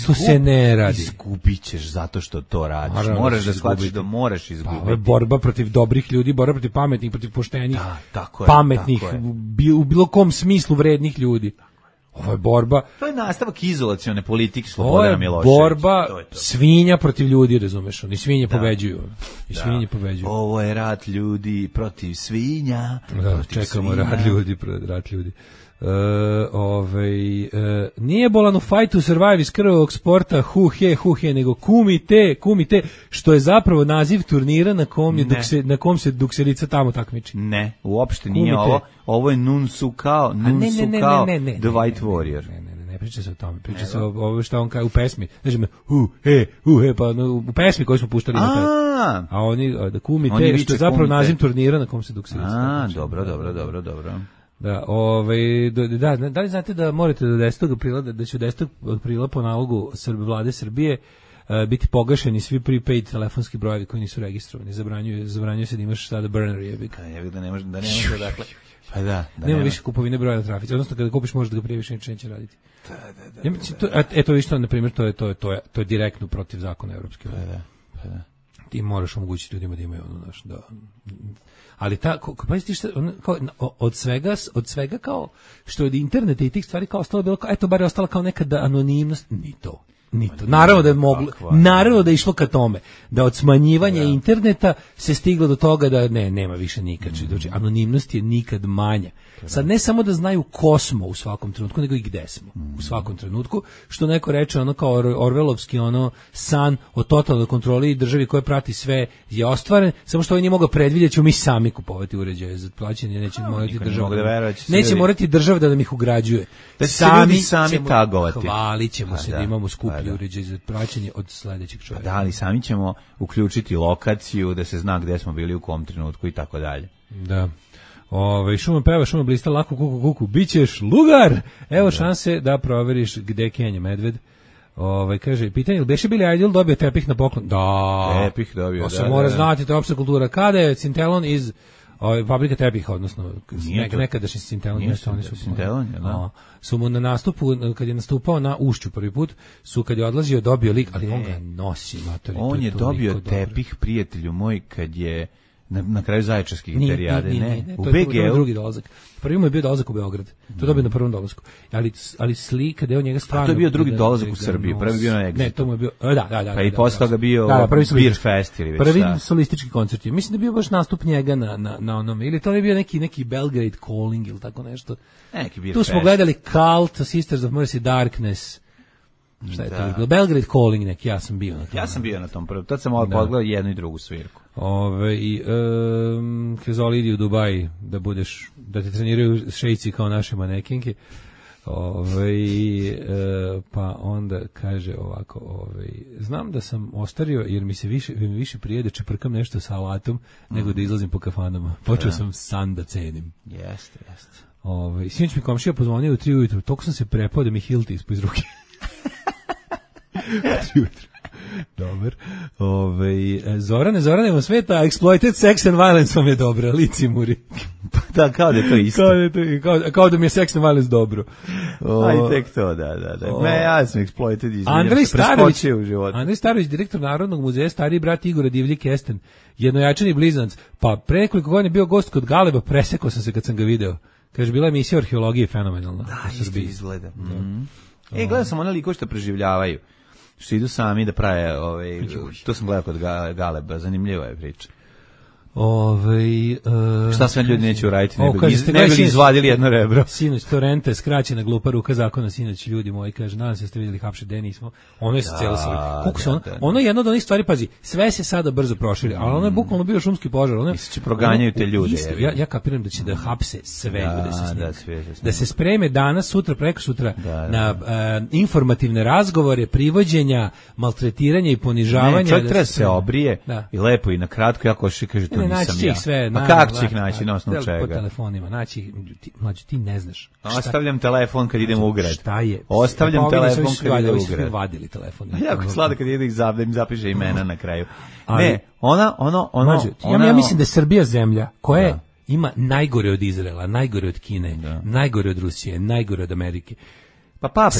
to se ne radi. Izgubit ćeš zato što to radiš. Moraš da shvatiš da moraš izgubiti. Pa, borba protiv dobrih ljudi, borba protiv pametnih, protiv poštenih, pametnih, u bilo kom smislu vrednih ljudi. Ovo je borba. To je nastavak izolacione politike Slobodana Miloševića. Ovo je borba svinja protiv ljudi, razumeš? Oni svinje pobeđuju. I svinje pobeđuju. Ovo je rat ljudi protiv svinja. Da, čekamo rat ljudi. Nije bolan u Fight to Survive iz krvavog sporta hu he, nego kumite, što je zapravo naziv turnira na kom se dukserica tamo takmiči. Ne, uopšte nije ovo je Nunsukao, The White Warrior. Ne priča se o tome, priča se o ovo što on kaže u pesmi. Znači hu he, pa u pesmi koju smo puštali na taj. A oni da kumite, što je zapravo naziv turnira na kom se dukserica takmiči. Dobro. Da li znate da morate do 10. aprila, da će od 10. aprila po nalogu vlade Srbije biti pogašeni svi prepaid telefonski brojevi koji nisu registrovani. Zabranjuje se da imaš sada burner jebik. Da ne može dakle. Pa da. Nema više kupovine broja na trafici. Odnosno kada kupiš možeš da ga prije više neće raditi. Da. Eto vi što, na primjer, to je direktno protiv zakona Evropske unije. Pa da. Ti moraš omogućiti ljudima da imaju ono naš, da. Ali pazite šta, od svega kao što od interneta i tih stvari kao ostalo bilo kao, eto bar je ostala kao nekada anonimnost, ni to. Naravno da je moglo, naravno da je išlo ka tome, da od smanjivanja interneta se stiglo do toga da nema više nikad. Znači, anonimnost je nikad manja. Sad ne samo da znaju ko smo u svakom trenutku, nego i gde smo u svakom trenutku, što neko reče ono kao orvelovski ono san o totalnoj kontroli i državi koja prati sve je ostvaren, samo što oni nije mogao predvidjeti, ćemo mi sami kupovati uređaje za plaćanje, neće morati država. Neće morati država da nam ih ugrađuje. Sami tagovati. Hvalit ćemo se da imamo skuplji uređaj za plaćanje od sledećeg čovjeka. Da, ali sami ćemo uključiti lokaciju da se zna gde smo bili u kom trenutku i tako dalje. Da. Šuma peva, šuma blista, lako kuku, bićeš lugar. Evo šanse da proveriš gde kenja medved. Kaže, pitanje, beše Billy Idol dobio tepih na poklon? Da. Tepih dobio, da. Se mora znati, to je opšta kultura. Kada je Cintelon iz fabrika tepiha, odnosno nekadašnji Cintelon. Cintelon, da. Su mu na nastupu, kad je nastupao na Ušću prvi put, kad je odlazio dobio lik, ali on ga nosi. On je dobio tepih, prijatelju moj, kad je na kraju Zaječarskih interijade, ne. U BG-u drugi dolazak. Prvi mu je bio dolazak u Beograd. To je dobio na prvom dolasku. Ali slika da je on njega stvarno. To je bio drugi dolazak u Srbiji, prvi bio na Exitu. Ne, to mu je bio. Da. Pa i posle toga bio Beer Fest ili već. Prvi solistički koncert. Mislim da je bio baš nastup njega na onom, ili to je bio neki Belgrade Calling ili tako nešto. Neki Beer Fest. Tu smo gledali Cult, Sisters of Mercy, Darkness. Šta je to bilo? Belgrade Calling neki, ja sam bio na tom. Ja sam bio na tom prvom. Tad sam pogledao jednu i drugu svirku. Hezoli idi u Dubai da te treniraju šejci kao naše manekinke. Pa onda kaže ovako, znam da sam ostario jer mi se više prije da čeprkam nešto sa alatom nego da izlazim po kafanama. Počeo sam san da cenim. Jeste. Sinoć mi komšija pozvonio u 3 ujutru, toliko sam se prepao da mi hilti ispod ruke. 3 ujutru. Dobar. Zorane vam sveta, exploited sex and violence vam je dobro, lici muri. Da, kao da je to isto. Kao da mi je sex and violence dobro. Aj, tek to, da. Ja sam exploited iz Andrej Starović, direktor Narodnog muzeja, stariji brat Igora Divlji-Kesten, jednojačani blizanac. Pa pre nekoliko godina bio gost kod Galeba, presekao sam se kad sam ga video. Kaže, bila emisija o arheologiji fenomenalna. Da, isto izgleda. Gledao sam one likove što preživljavaju. Što idu sami da prave, to sam gledao kod Galeba, zanimljiva je priča. Šta sve ljudi neće uraditi, ne bi li izvadili jedno rebro. Sinoć Torrente, skraćena glupa ruka zakona, sinoć ljudi moji, kaže, nadam se ste vidjeli Hapše Denismo, ono je se cijelo ono je jedno od onih stvari, pazi, sve se sada brzo proširi, ali ono je bukvalno bio šumski požar. Misli će proganjaju te ljude. Ja kapiram da će da hapse sve ljude sa snimkom. Da se spreme danas, sutra, preko sutra na informativne razgovore, privođenja, maltretiranja i ponižavanja. Čovjek treba se obrije i lepo i na kratko, jako še kaže to nisam ja. A kako će ih naći, na osnovu čega? Po telefonima, naći, mlađe, ti ne znaš. Ostavljam telefon kad idem u grad. Šta je? Ostavljam telefon kad idem u grad. Ovi vadili telefon. Jako slada kad idem da im zapiše imena na kraju. Ne, ja mislim da je Srbija zemlja koja ima najgore od Izraela, najgore od Kine, najgore od Rusije, najgore od Amerike. Pa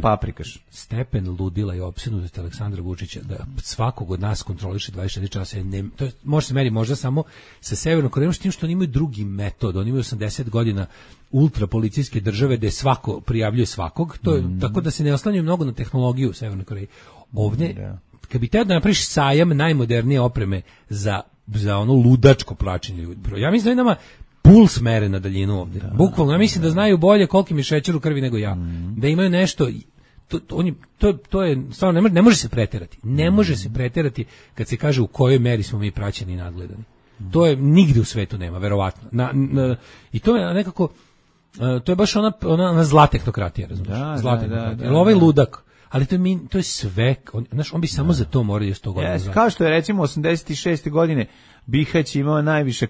paprikaš. Stepen ludila i opsednutosti Aleksandra Vučića da svakog od nas kontroliše 24 časa. To može se meri možda samo sa Severnom Korejom, s tim što oni imaju drugi metod. Oni imaju 80 godina ultrapolicijske države gde svako prijavljuje svakog, to je, tako da se ne oslanjaju mnogo na tehnologiju u Severnoj Koreji. Ovdje, kad bi teo da napraviš sajam najmodernije opreme za ono ludačko plaćenje ljudi. Ja mislim da nama puls mere na daljinu ovdje. Bukvalno, ja mislim da znaju bolje koliki mi šećer u krvi nego ja. Da imaju nešto, to je stvarno, ne može se preterati. Ne može se preterati kad se kaže u kojoj meri smo mi praćeni i nadgledani. To je nigdje u svetu nema, verovatno. I to je nekako, to je baš ona zla tehnokratija, razumiješ? Zla tehnokratija. Jer ovaj ludak, ali to je sve, on bi samo za to morao 100 godina. Kao što je recimo 86. godine Bihać imao najviše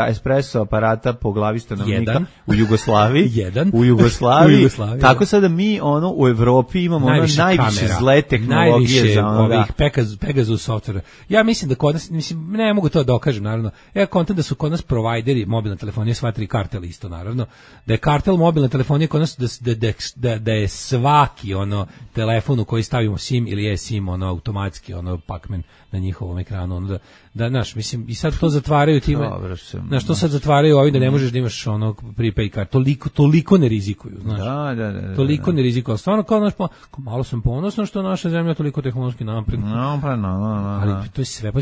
espresso aparata po glavi stanovnika u Jugoslaviji. U Jugoslaviji. Tako sada mi u Evropi imamo najviše zle tehnologije za ovih Pegasus softvera. Ja mislim da kod nas, ne mogu to da dokažem, naravno. Ja kontam da su kod nas provajderi mobilne telefonije sva tri kartel isto, naravno. Da je kartel mobilne telefonije kod nas da je svaki telefon u koji stavimo SIM ili eSIM automatski Pacman na njihovom ekranu da naš, mislim, i sad to zatvaraju time. Znaš, to sad zatvaraju ovi da ne možeš da imaš prepaid card. Toliko ne rizikuju, znaš. Toliko ne rizikuju. Stvarno kao naš, malo sam ponosan što naša zemlja toliko tehnološki napredna. Ali to je sve.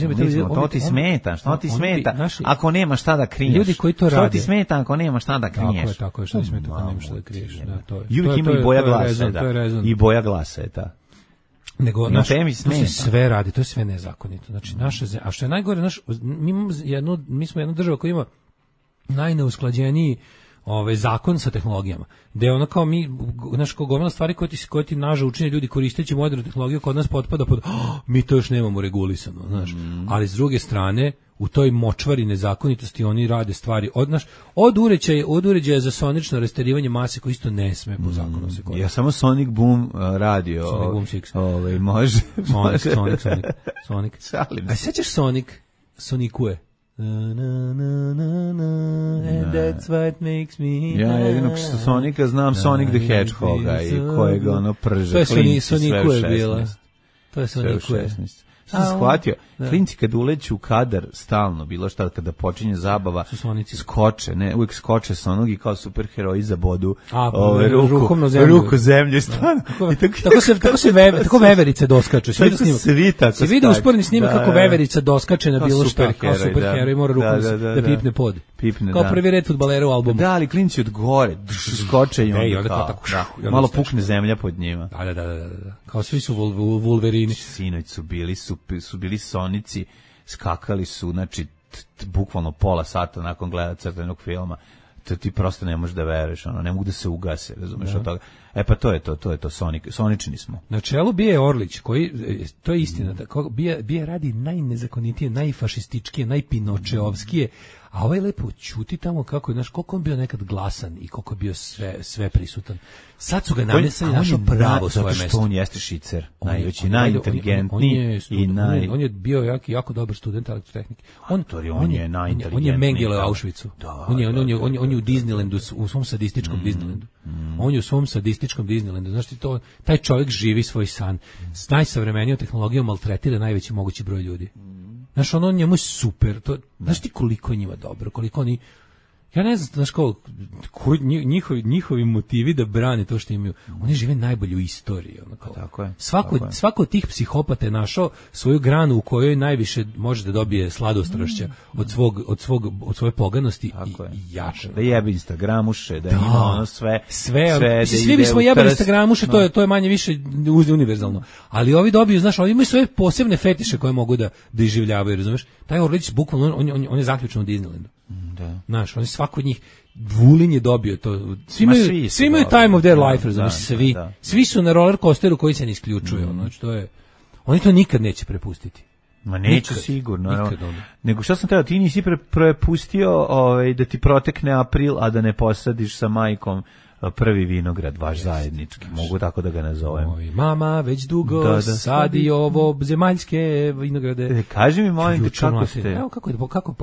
To ti smeta, što ti smeta ako nema šta da kriješ. Ljudi koji to rade. Što ti smeta ako nema šta da kriješ. Tako je, što ti smeta ako nema šta da kriješ. Uvijek ima i boja glasa, i boja glasa je ta. Nego to se sve radi, to je sve nezakonito. Znači a što je najgore, mi smo jedna država koja ima najneusklađeniji zakon sa tehnologijama. Da je kao mi, kao gomila stvari koje ti naža učine ljudi koristeći modernu tehnologiju kod nas potpada pod mi to još nemamo regulisano, znaš. Ali s druge strane, u toj močvari nezakonitosti oni rade stvari od uređaja za sonično rasterivanje mase koji isto ne sme po zakonu se koristi. Ja samo Sonic Boom radio. Sonic Boom 6. Može. Sonic. A sećaš Sonicue? And that's what makes me. Ja jedino što Sonika znam Sonic the Hedgehoga i kojeg prže klinci sve u 16. To je Sonicue. Sam shvatio, klinci kad uleću u kadar stalno, bilo šta kada počinje zabava, skoče, uvijek skoče sa onog i kao superheroji za bodu ruku zemlju. Tako veverice doskaču. Se vidi usporedni snimak kako veverica doskače na bilo šta, kao superheroj, mora ruku da pipne pod. Kao prvi red fudbalera u albumu. Da, ali klinci od gore skoče i onda malo pukne zemlja pod njima. Da. Kao svi su Wolverini. Sinoć su bili Sonici, skakali su, znači, bukvalno pola sata nakon gleda crtenog filma. To ti prosto ne možeš da veruješ, ne mogu da se ugase, razumeš od toga. Pa to je to, Sonični smo. Na čelu Bije Orlić, koji, to je istina, Bije radi najnezakonitije, najfašističkije, najpinočeovskije, a ovaj lepo ćuti tamo kako je, znaš, koliko on bio nekad glasan i koliko je bio sve prisutan. Sad su ga namestili našo pravo svoje mesto. Zato što on jeste šicer, najveći, najinteligentniji on je bio jako dobar student elektrotehnike. On je najinteligentniji. On je Mengele u Auschwitzu. On je u Disneylandu, u svom sadističkom Disneylandu. On je u svom sadističkom Disneylandu. Znaš ti to, taj čovjek živi svoj san. S najsavremenijom tehnologijom maltretira najveći mogući broj ljudi. Znaš, njemu je super. Znaš ti koliko je njima dobro, koliko oni... Ja ne znam, znaš kao, njihovi motivi da brane to što imaju. Oni žive najbolje u istoriji. Tako je. Svako od tih psihopata je našao svoju granu u kojoj najviše može da dobije sladostrašća od svoje poganosti i jače. Da jebe Instagramuše, da ima sve. Svi bismo jebali Instagramuše, to je manje više univerzalno. Ali ovi dobiju, znaš, ovi imaju svoje posebne fetiše koje mogu da iživljavaju, razumeš? Taj Orlić, bukvalno, on je zaključen u Disneylandu. Da. Znaš, oni svako od njih, Vulin je dobio to. Svi imaju time of their life, razumiješ, svi su na roller coasteru koji se ne isključuje. Znači, oni to nikad neće prepustiti. Ma neće sigurno. Nego što sam teo, ti nisi prepustio da ti protekne april, a da ne posadiš sa majkom prvi vinograd, vaš zajednički, mogu tako da ga nazovem. Mama već dugo sadi ovo zemaljske vinograde. Kaži mi, molim te, kako ste? Evo, kako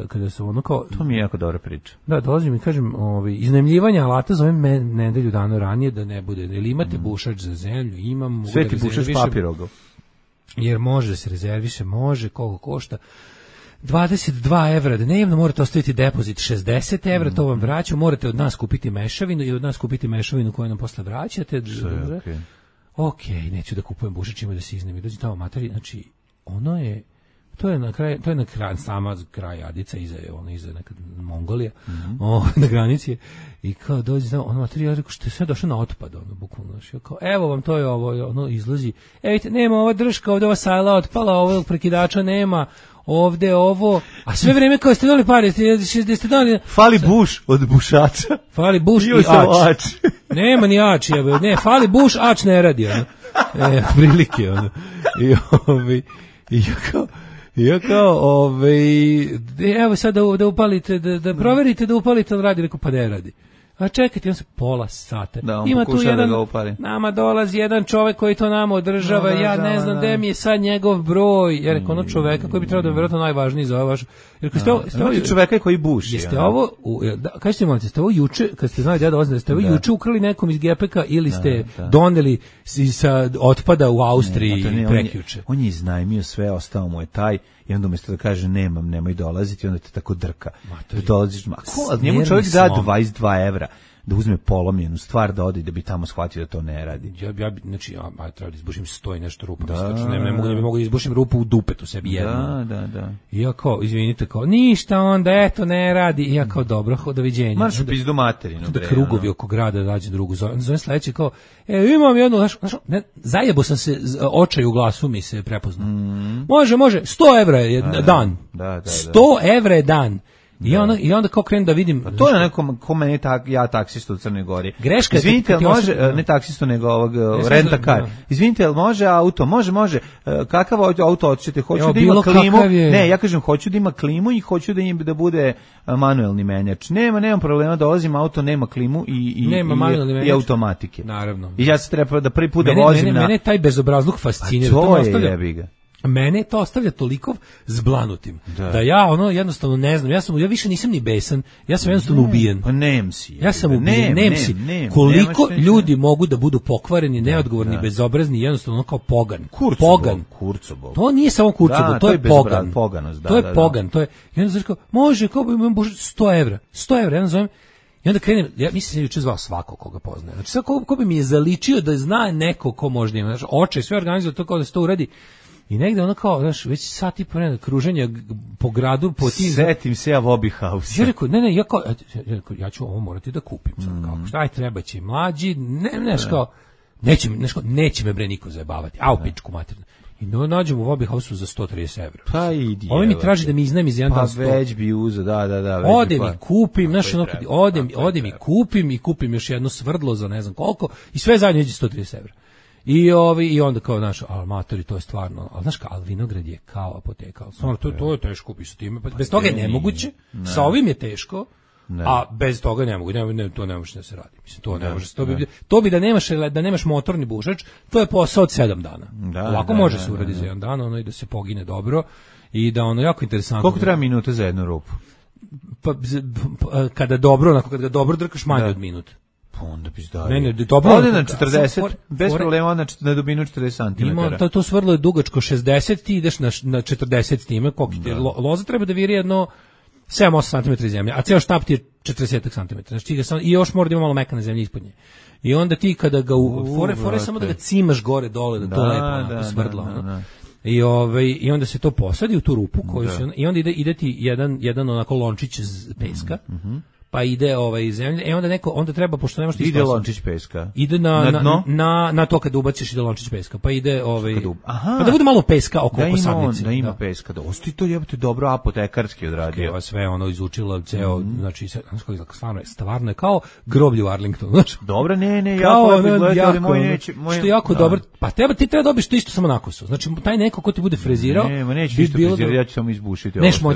kada su ono kao... To mi je jako dobra priča. Da, dolazim i kažem, iznajmljivanje alata zovem nedelju dana ranije da ne bude. Ili imate bušač za zemlju, imam... Sve ti bušač papirogov. Jer može da se rezerviše, može, koliko košta. 22 evra dnevno, morate ostaviti depozit 60 evra, to vam vraćamo, morate od nas kupiti mešavinu i od nas kupiti mešavinu koju nam posle vraćate. Ok, neću da kupujem bušačima da se iznemi, dođi tamo materi, znači, ono je, to je na kraj, sama kraj Adica, iza nekad Mongolija, na granici, i kao dođi tamo, ono materi, ja rekao, što je sve došlo na otpad, ono, bukvalno, kao, evo vam, to je ovo, ono, izlazi, vidite, nema ova drška, ovde ova sajla otpala, ovog prekidača nema, ovde ovo, a sve vreme kao ste dali pare, ste dali... Fali buš od bušača. Fali buš i ač. Nema ni ač, ne, fali buš, ač ne radi, ono. Prilike, ono. Evo sad da upalite, da proverite da upalite, ali radi, rekao, pa ne radi. A čekajte, on se pola sata. Da, ima tu jedan, da nama dolazi jedan čovek koji to nama održava, ja ne znam gde mi je sad njegov broj. Ja rekao, ono čoveka koji bi trebao da je vjerojatno najvažniji za ovo vaš. Imate čoveka koji buši. Jeste ovo, kažete mi, ste ovo juče, kad ste znali da ja dolazim, ste ovo juče ukrali nekom iz GPK ili ste doneli sa otpada u Austriji prekjuče? On je iznajmio sve, ostao mu je taj, i onda umjesto da kaže nemoj dolaziti, onda te tako drka. Da dolaziš, njemu čovjek da 22 evra da uzme polomljenu stvar, da ode i da bi tamo shvatio da to ne radi. Znači, treba da izbušim 100 i nešto rupa. Ne mogu da izbušim rupu u dupetu sebi jedno. Da. I ja kao, izvinite, kao, ništa onda, eto, ne radi. I ja kao, dobro, doviđenja. Marš u pizdu materinu. Da krugovi oko grada dađe drugu. Zovem sledeće kao, imam jednu, zajebo sam se, očaj u glasu mi se prepoznao. Može, 100 evra je dan. 100 evra je dan. I onda kao krenem da vidim... A to je nekom, ko meni ja taksistu u Crnoj Gori. Greška. Izvinite, ali može, ne taksistu, nego ovog renta-car. Izvinite, ali može auto? Može. Kakav auto hoćete? Hoću da ima klimu. Ne, ja kažem, hoću da ima klimu i hoću da bude manuelni menjač. Nemam problema, dolazim auto, nema klimu i automatike. Naravno. I ja se treba da prvi put da vozim na... Mene taj bezobrazluk fascinira. To je jebiga. Mene to ostavlja toliko zblanutim da ja jednostavno ne znam, ja više nisam ni besan, ja sam jednostavno ubijen. Pa nem si. Ja sam ubijen, nem si. Koliko ljudi mogu da budu pokvareni, neodgovorni, bezobrazni, jednostavno kao pogan. Kurcobo. To nije samo kurcobo, to je pogan. To je pogan, to je. I onda znači može, kao bi imam 100 evra. 100 evra, ja nazovem. I onda krenem, ja mislim se juče zvao svako koga poznaje. Znači sad ko bi mi je zaličio da zna neko ko možda ima, znači oče sve organizuje to kao da se to uradi. I negde ono kao, znaš, već sat i po kruženja po gradu, po tim... Setim se ja Bobby House. Ja rekao, ja ću ovo morati da kupim. Kao, šta treba će mlađi, kao, neće me bre niko zajebavati, a u pičku materinu. I nađem u Bobby House-u za 130 evra. Pa idi. Ovo mi traži da mi iznajmi za jedan dan 100. Pa već bi uzeo, da. Odem i kupim, znaš, odem i kupim još jedno svrdlo za ne znam koliko i sve zajedno iđe 130 evra. I onda kao, znaš, amatori, to je stvarno, ali znaš kao, ali vinograd je kao apoteka, stvarno, to je teško kupiti sa time, bez toga je nemoguće, sa ovim je teško, a bez toga ne mogu, to ne može da se radi, mislim, to ne može, to bi da nemaš motorni bušač, to je posao od 7 dana, ovako može se uradi za jedan dan, i da se pogine dobro, i da jako interesantno. Koliko treba minuta za jednu rupu? Pa, kada ga dobro drkaš manje od minuta. Onda bi zdao. Ode na 40, bez problema na dubinu 40 cm. Ima, to svrlo je dugačko 60, ti ideš na 40 s time, koliko ti loza treba da viri jedno 7-8 cm zemlje, a ceo štap ti je 40 cm. Znači i još mora da ima malo mekane zemlje ispod nje. I onda ti kada ga fore samo da ga cimaš gore dole, da to lepo onako svrdlo. I onda se to posadi u tu rupu koju i onda ide ti jedan onako lončić peska. Pa ide zemlja, onda treba, pošto nemaš ti ide lončić peska. Ide na to kad ubaciš ide lončić peska. Pa ide pa da bude malo peska oko sadnice. Da ima peska. Da osti to jebote dobro apotekarski odradio. Sve izučila ceo, znači stvarno je kao groblje u Arlingtonu, znači. Dobro, ja moj neće, što je jako dobro. Pa ti treba dobiti to isto samo na kosu. Znači taj neko ko ti bude frezirao, neće isto frezirati, ja ću samo izbušiti. Neš moj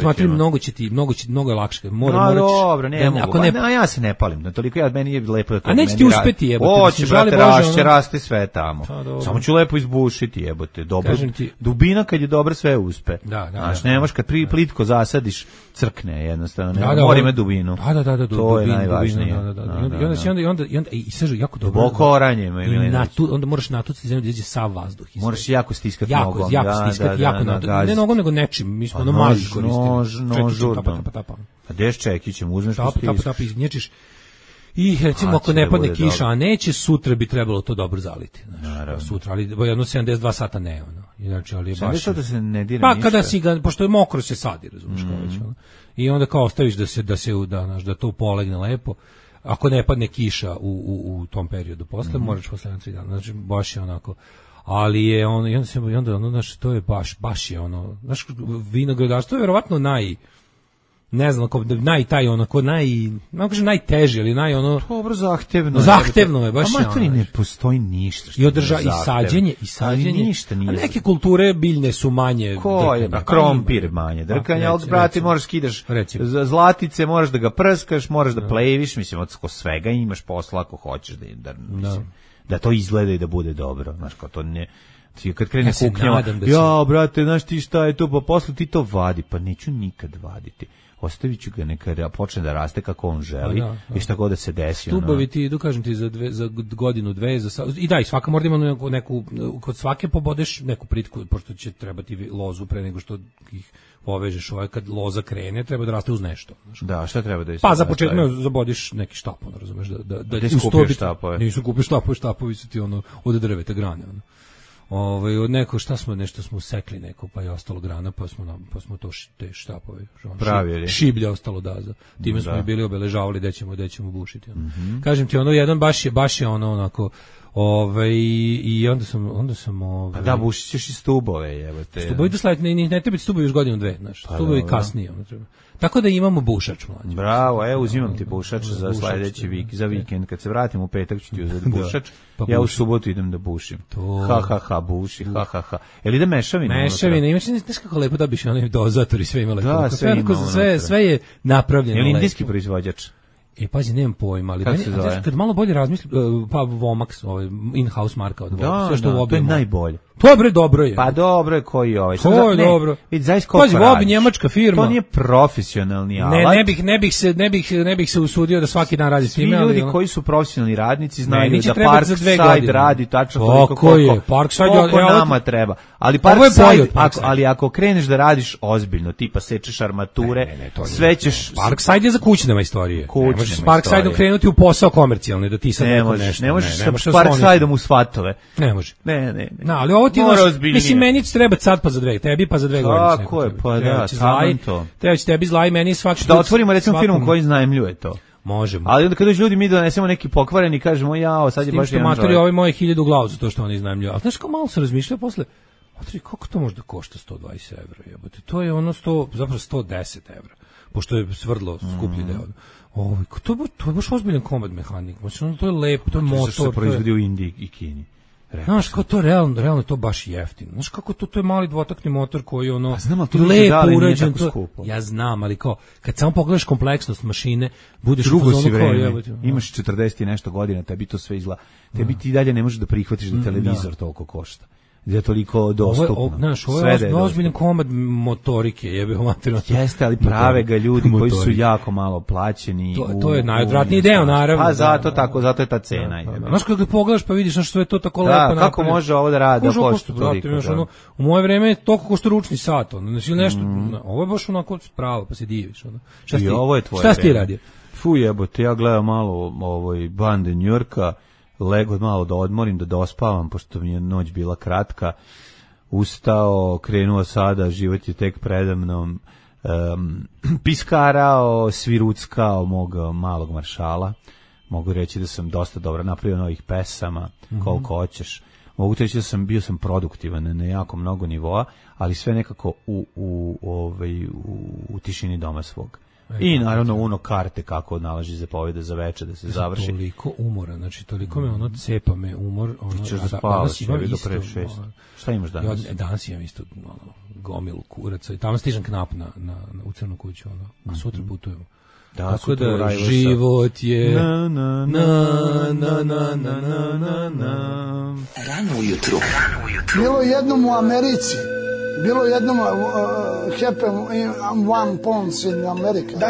mnogo je lakše. Dobro, Ako ne, ja se ne palim, na toliko ja meni je lepo da to. A neće ti uspeti, jebote. Hoće, brate, raste sve tamo. Samo ću lepo izbušiti, jebote. Dobro. Dubina kad je dobra sve uspe. Znaš, nemaš kad plitko zasadiš, crkne jednostavno. Mora ima dubinu. Da. To je najvažnije. I onda i sve jako dobro. Duboko oranje ima ili ne. Onda moraš natuciti zemlju da izađe sav vazduh. Moraš jako stiskati nogom. Jako stiskati, ne nogom nego nečim. Mi smo maž koristili. Nož. A deš čekićem, uzmeš to stiš. Tap, iznječiš. I recimo ako ne padne kiša, a neće, sutra bi trebalo to dobro zaliti. Sutra, ali jedno 72 sata ne. Inače, ali je baš... da se ne dira ništa? Pa kada si ga, pošto je mokro se sadi, razumiješ kao već. I onda kao ostaviš da to polegne lepo. Ako ne padne kiša u tom periodu posle, moraš posle 3 dana. Znači, baš je onako... Ali je ono, i onda znaš, to je baš je ono, znaš, vinogradarstvo je verovatno ne znam, najteže, ali dobro, zahtevno je, baš je. Amateri ne postoji ništa. I sađenje. Ništa nije. A neke kulture biljne su manje. Krompir manje drkanja, ali brate, moraš skidaš zlatice, moraš da ga prskaš, moraš da pleviš, mislim, od svega imaš posla ako hoćeš da to izgleda i da bude dobro, znaš, kao to ne... Kad krene kuknjava, brate, znaš ti šta je to, pa posle ti to vadi, pa neću nikad vaditi. Ostavit ću ga neka počne da raste kako on želi i šta god da se desi. Stubovi ti, kažem ti, za godinu, dve, i svaka mora ima neku, kod svake pobodeš neku pritku, pošto će trebati lozu pre nego što ih povežeš, kad loza krene, treba da raste uz nešto. Da, šta treba da je? Pa za početak zabodiš neki štapon, razumeš, da ti skupiš štapove. Nisu kupiš štapovi su ti od drveta grane, od neko nešto smo sekli neko, pa je ostalo grana, pa smo to te štapove pravili. Šiblja ostalo daza. Time smo i bili obeležavali da ćemo bušiti. Kažem ti, jedan baš je onako, i onda sam pa da, bušit ćeš i stubove, jebote. Stubovi do sledeće, ne treba stubovi još godinu dve, znaš. Stubovi kasnije, treba. Tako da imamo bušač, mlađe. Bravo, uzimam ti bušač za sledeći za vikend. Kad se vratim u petak ću ti uzeti bušač. Ja u subotu idem da bušim. Buši, Jel ide mešavina? Mešavina, imaš kako lepo da biš onaj dozator i sve ima lepo. Da, sve je napravljeno lepo. Jel indijski proizvođač? Pazi, nemam pojma, ali kad malo bolje razmislim, pa Vomax, in-house marka od Vomax, sve što to je najbolje. To je dobro je. Pa dobro je koji ovaj. To je dobro. Pazi, Vobi njemačka firma. To nije profesionalni alat. Ne bih se usudio da svaki dan radi s time. Svi ljudi koji su profesionalni radnici znaju da Parkside radi tačno toliko koliko nama treba. Ali Parkside, ali ako kreneš da radiš ozbiljno, tipa sečeš armature, sve ćeš... Parkside je za kućne majstorije. Možeš s Parksideom krenuti u posao komercijalni, da ti sad neko nešto. Ne možeš s Parksideom u svatove. Ne može. Ne. Ali ovo ti mislim, meni će trebati sad pa za dve, tebi pa za 2 godine. Tako je, pa da, taman to. Treba će tebi zlaj, meni svaki... Da otvorimo recimo firmu koji iznajmljuje to. Možemo. Ali onda kad dođu ljudi mi donesemo neki pokvareni i kažemo sad je baš jedan čovjek. Ovi moji 1000 glavu za to što oni iznajmljuju. Ali znaš kao malo se razmišljao posle, kako to može da košta 120 evra, jebote? To je zapravo 110 evra, pošto je svrdlo skuplji deo. To je baš ozbiljan komad mehanik. To je lepo, to je motor. To se proizvodi u Indiji i Kini. Znaš, kao to realno to baš jeftino. Znaš kako to je mali dvotakni motor koji lepo urađen. Ja znam, ali kao, kad samo pogledaš kompleksnost mašine, budeš drugo si vreme, imaš 40 i nešto godina, tebi to sve izgleda. Tebi ti dalje ne možeš da prihvatiš da televizor toliko košta. Da je toliko dostupno. Ovo je ozbiljan komad motorike, jebe materijalno. Jeste, ali prave ga ljudi koji su jako malo plaćeni. To je najodvratniji deo, naravno. Pa zato je ta cena. Znaš kako pogledaš pa vidiš što je to tako lepo napravljeno. Kako može ovo da radi, da košta toliko. U moje vreme je toliko košta ručni sat. Nešto, ovo je baš onako spravo, pa se diviš. Šta si ti radio? Fu jebote, ja gledam malo bande New Yorka, lego malo da odmorim, da dospavam, pošto mi je noć bila kratka, ustao, krenuo sada, život je tek predamnom, piskarao, sviruckao mog malog maršala, mogu reći da sam dosta dobro napravio novih pesama, koliko hoćeš, mogu reći da bio sam produktivan na jako mnogo nivoa, ali sve nekako u tišini doma svog. I naravno karte kako nalaži zapovede za veče da se završi. Toliko umora, znači toliko me cepa me umor. Ti ćeš da spavaš, ja vidio pre 6. Šta imaš danas? Danas imam isto gomilu kuraca i tamo stižem knap u Crnu kuću, a sutra putujemo. Tako da život je Rano ujutru. Bilo jednom u Americi, bilo jednom happen one pounds in America. Da.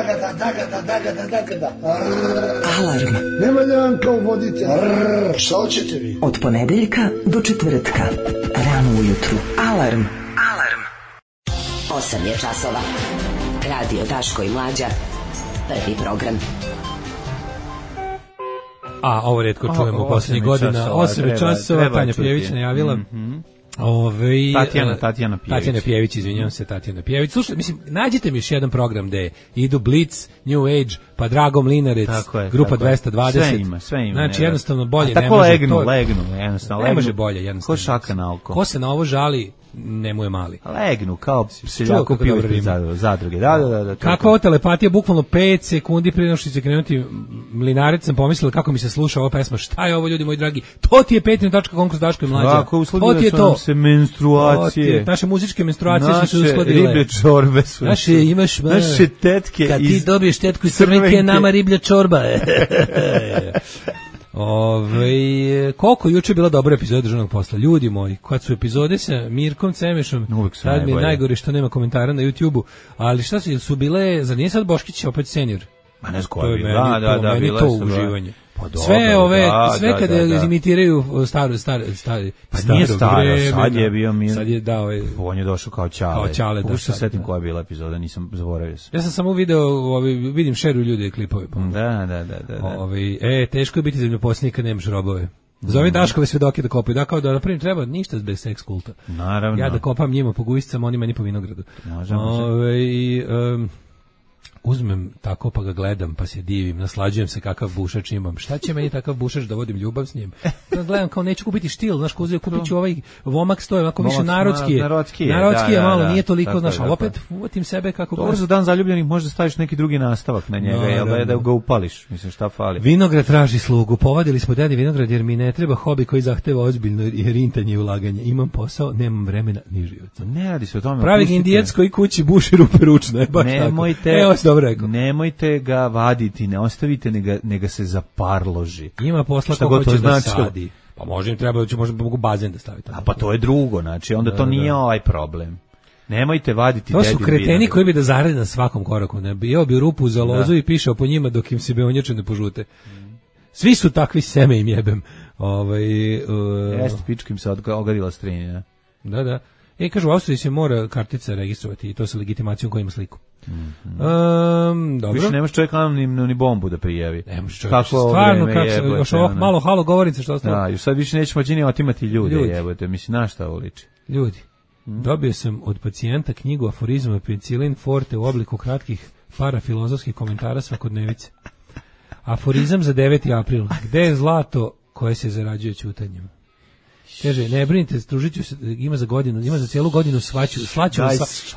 Alarm. Nema da vam kao vodite. Šta hoćete vi? Od ponedeljka do četvrtka. Rano ujutru. Alarm. 8 je časova. Radio Daško i Mlađa. Prvi program. A ovo retko čujemo u poslednjih godina. 8 časova, Tanja Pjević najavila. Tatjana Pjević, izvinjavam se, Tatjana Pjević. Slušaj, mislim, nađite mi još jedan program gde idu Blitz, New Age, pa Drago Mlinarec, Grupa 220. Sve ima. Znači, jednostavno bolje ne može. Tako legnu, jednostavno. Ne može bolje, jednostavno. Ko šaka na oko. Ko se na ovo žali, ne mu je mali. Legnu, kao seljako piju zadruge. Da. Kakva ovo telepatija, bukvalno 5 sekundi prije nego što će krenuti Mlinarec, sam pomislila kako mi se sluša ova pesma. Šta je ovo, ljudi moji dragi? To ti je Petrin tačka konkurs Daško i Mlađa. Tako, to ti je to. Se menstruacije. Naše muzičke menstruacije su se uskladile. Naše riblje čorbe su. Naše tetke. Kad ti dobiješ tetku iz Crvenke, nama riblja čorba. Koliko juče je bila dobra epizoda Državnog posla, ljudi moji, kad su epizode sa Mirkom Cemešom, sad mi je najgore što nema komentara na YouTube-u, ali šta su bile, za nije sad Boškić opet senior? Ma ne znam je bila, meni to uživanje. Sve ove, sve kada imitiraju stari. Pa nije staro, sad je bio Mir. Sad je dao, on je došao kao Ćale. Kako se setim koja je bila epizoda, nisam zaboravio se. Ja sam samo video, vidim šeruju ljudi klipove. Da. Teško je biti zemljoposlenik kad nemaš robove. Zove Daškove svedoke da kopaju, da kao da napravim treba ništa bez seks kulta. Naravno. Ja da kopam njima po gujscama, oni meni po vinogradu. Uzmem tako pa ga gledam, pa se divim, naslađujem se kakav bušač imam. Šta će meni takav bušač da vodim ljubav s njim? Gledam kao neću kupiti štil, znaš, kupit ću ovaj Vomak stoje, ovako više narodski je malo, nije toliko, znaš, ali opet uvatim sebe kako... Dobro, za dan zaljubljenih možda staviš neki drugi nastavak na njega, jel da ga upališ, mislim, šta fali. Vinograd traži slugu, povadili smo dedi vinograd jer mi ne treba hobi koji zahteva ozbiljno rintanje i ulaganje. Imam posao, nemam vremena ni života. Ne radi se o tome. Pravi Indijac koji kući buši rupe ručno, je baš tako. Nemojte ga vaditi, ne ostavite, nega se zaparloži. Ima posla ko hoće da sadi. Pa može im treba, možda mogu bazen da staviti. A pa to je drugo, znači onda to nije ovaj problem. Nemojte vaditi dedin vinograd. To su kreteni koji bi da zarade na svakom koraku. Ne bio bi rupu za lozu i pišao po njima dok im se beonjače ne požute. Svi su takvi, seme im jebem. Jeste, pička im se ogadila strenja. Da. Kažu, u Austriji se mora kartica registrovati i to sa legitimacijom koja ima sliku. Dobro. Više nemaš čovjek ni bombu da prijavi. Nemaš čovjek, stvarno, još ovo malo halo govorice što ostalo. Da, još sad više nećemo moći ni otimati ljude, jebote, mislim, na šta ovo liči. Ljudi, dobio sam od pacijenta knjigu aforizma Penicillin Forte u obliku kratkih parafilozofskih komentara svakodnevice. Aforizam za 9. april. Gde je zlato koje se zarađuje ćutanjem? Kaže, ne brinite, družit ću se, ima za cijelu godinu slaću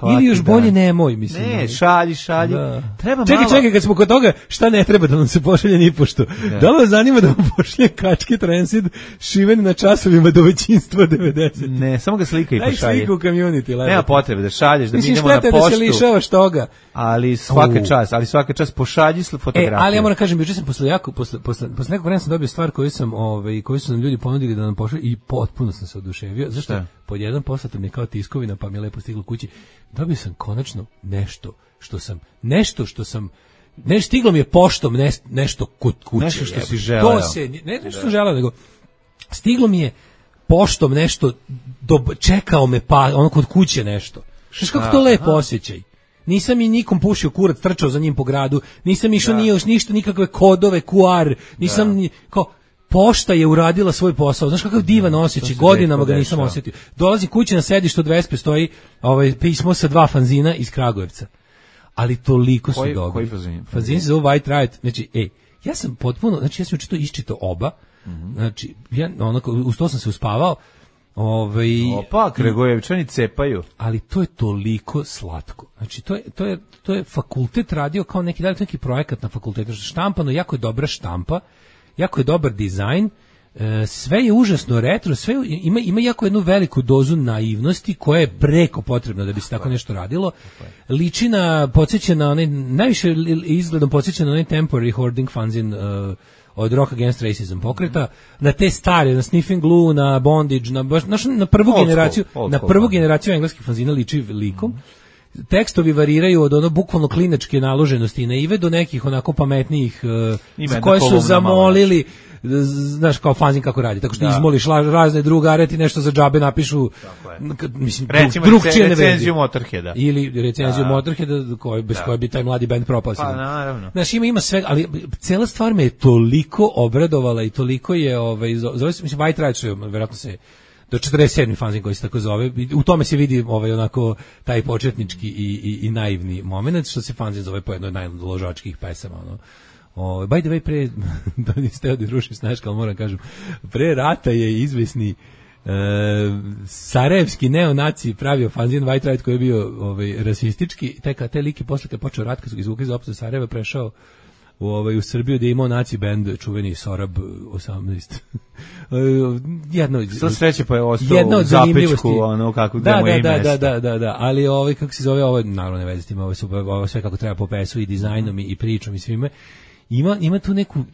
ili još bolje nemoj, mislim. Ne, šalji. Da. Treba čekaj, kad smo kod toga, šta ne treba da nam se pošalje ni pošto? Da li vas zanima da vam pošalje kačke transit šiven na časovima do većinstva 90? Ne, samo ga slika i pošalje. Daj sliku u community. Nema potrebe da šalješ, da mi idemo na poštu. Mislim, štete da se lišavaš toga. Ali svaka čas pošalji fotografiju. Ali ja moram kažem, juče sam posle nekog vremena sam dobio stvar koju su nam ljudi ponudili da nam pošalju i potpuno sam se oduševio. Zašto? Pod jedan poslatom je kao tiskovina, pa mi je lepo stiglo kući. Dobio sam konačno nešto što sam stiglo mi je poštom nešto kod kuće. Nešto što si želeo. Ne nešto što želeo, nego stiglo mi je poštom nešto, čekao me pa ono kod kuće nešto. Znaš kako to lepo osjećaj. Nisam i nikom pušio kurac, trčao za njim po gradu, nisam išao ništa, nikakve kodove, QR, nisam kao pošta je uradila svoj posao. Znaš kakav divan osjećaj, godinama ga nisam osjetio. Dolazi kući na sedištu od Vespe, stoji pismo sa 2 fanzina iz Kragujevca. Ali toliko su dobri. Koji fanzin? Fanzin se zove White Riot. Znači, ja sam potpuno, znači ja sam iščitao oba. Znači, uz to sam se uspavao. Kragujevčani cepaju. Ali to je toliko slatko. Znači, to je fakultet radio kao neki projekat na fakultetu. Štampano, jako je dobra štampa, jako je dobar dizajn, sve je užasno retro, sve ima jako jednu veliku dozu naivnosti koja je preko potrebna da bi se tako nešto radilo. Liči na, podsjeća onaj, najviše izgledom podsjeća na onaj temporary hoarding fanzine od Rock Against Racism pokreta, na te stare, na Sniffing Glue, na Bondage, na prvu generaciju engleskih fanzina liči likom. Tekstovi variraju od ono bukvalno klinačke naloženosti i naive do nekih onako pametnijih koje su zamolili, znaš, kao fanzin kako radi, tako što izmoliš razne drugare, ti nešto za džabe napišu, mislim, recimo recenziju Motorheada. Ili recenziju Motorheada bez koje bi taj mladi band propao. Pa naravno. Znaš, ima sve, ali cela stvar me je toliko obradovala i toliko je, zove se, mislim, White Ride, verovatno se do 47. fanzin koji se tako zove, u tome se vidi onako taj početnički i naivni moment, što se fanzin zove po jednoj najložačkih pesama, by the way, pre, da niste ovdje rušim snaška, ali moram kažem, pre rata je izvesni sarajevski neonaci pravio fanzin White Ride koji je bio rasistički, te liki posle kad počeo rat, kad su ga izvukli za opšte Sarajeva, prešao u Srbiju, da je imao naci bend čuveni Sorab 18. Sva sreće pa je ostao u zapečku, kako ga mu je mesta. Da, ali kako se zove, ovo naravno ne veze s tim, ovo sve kako treba po pesu i dizajnom i pričom i svime.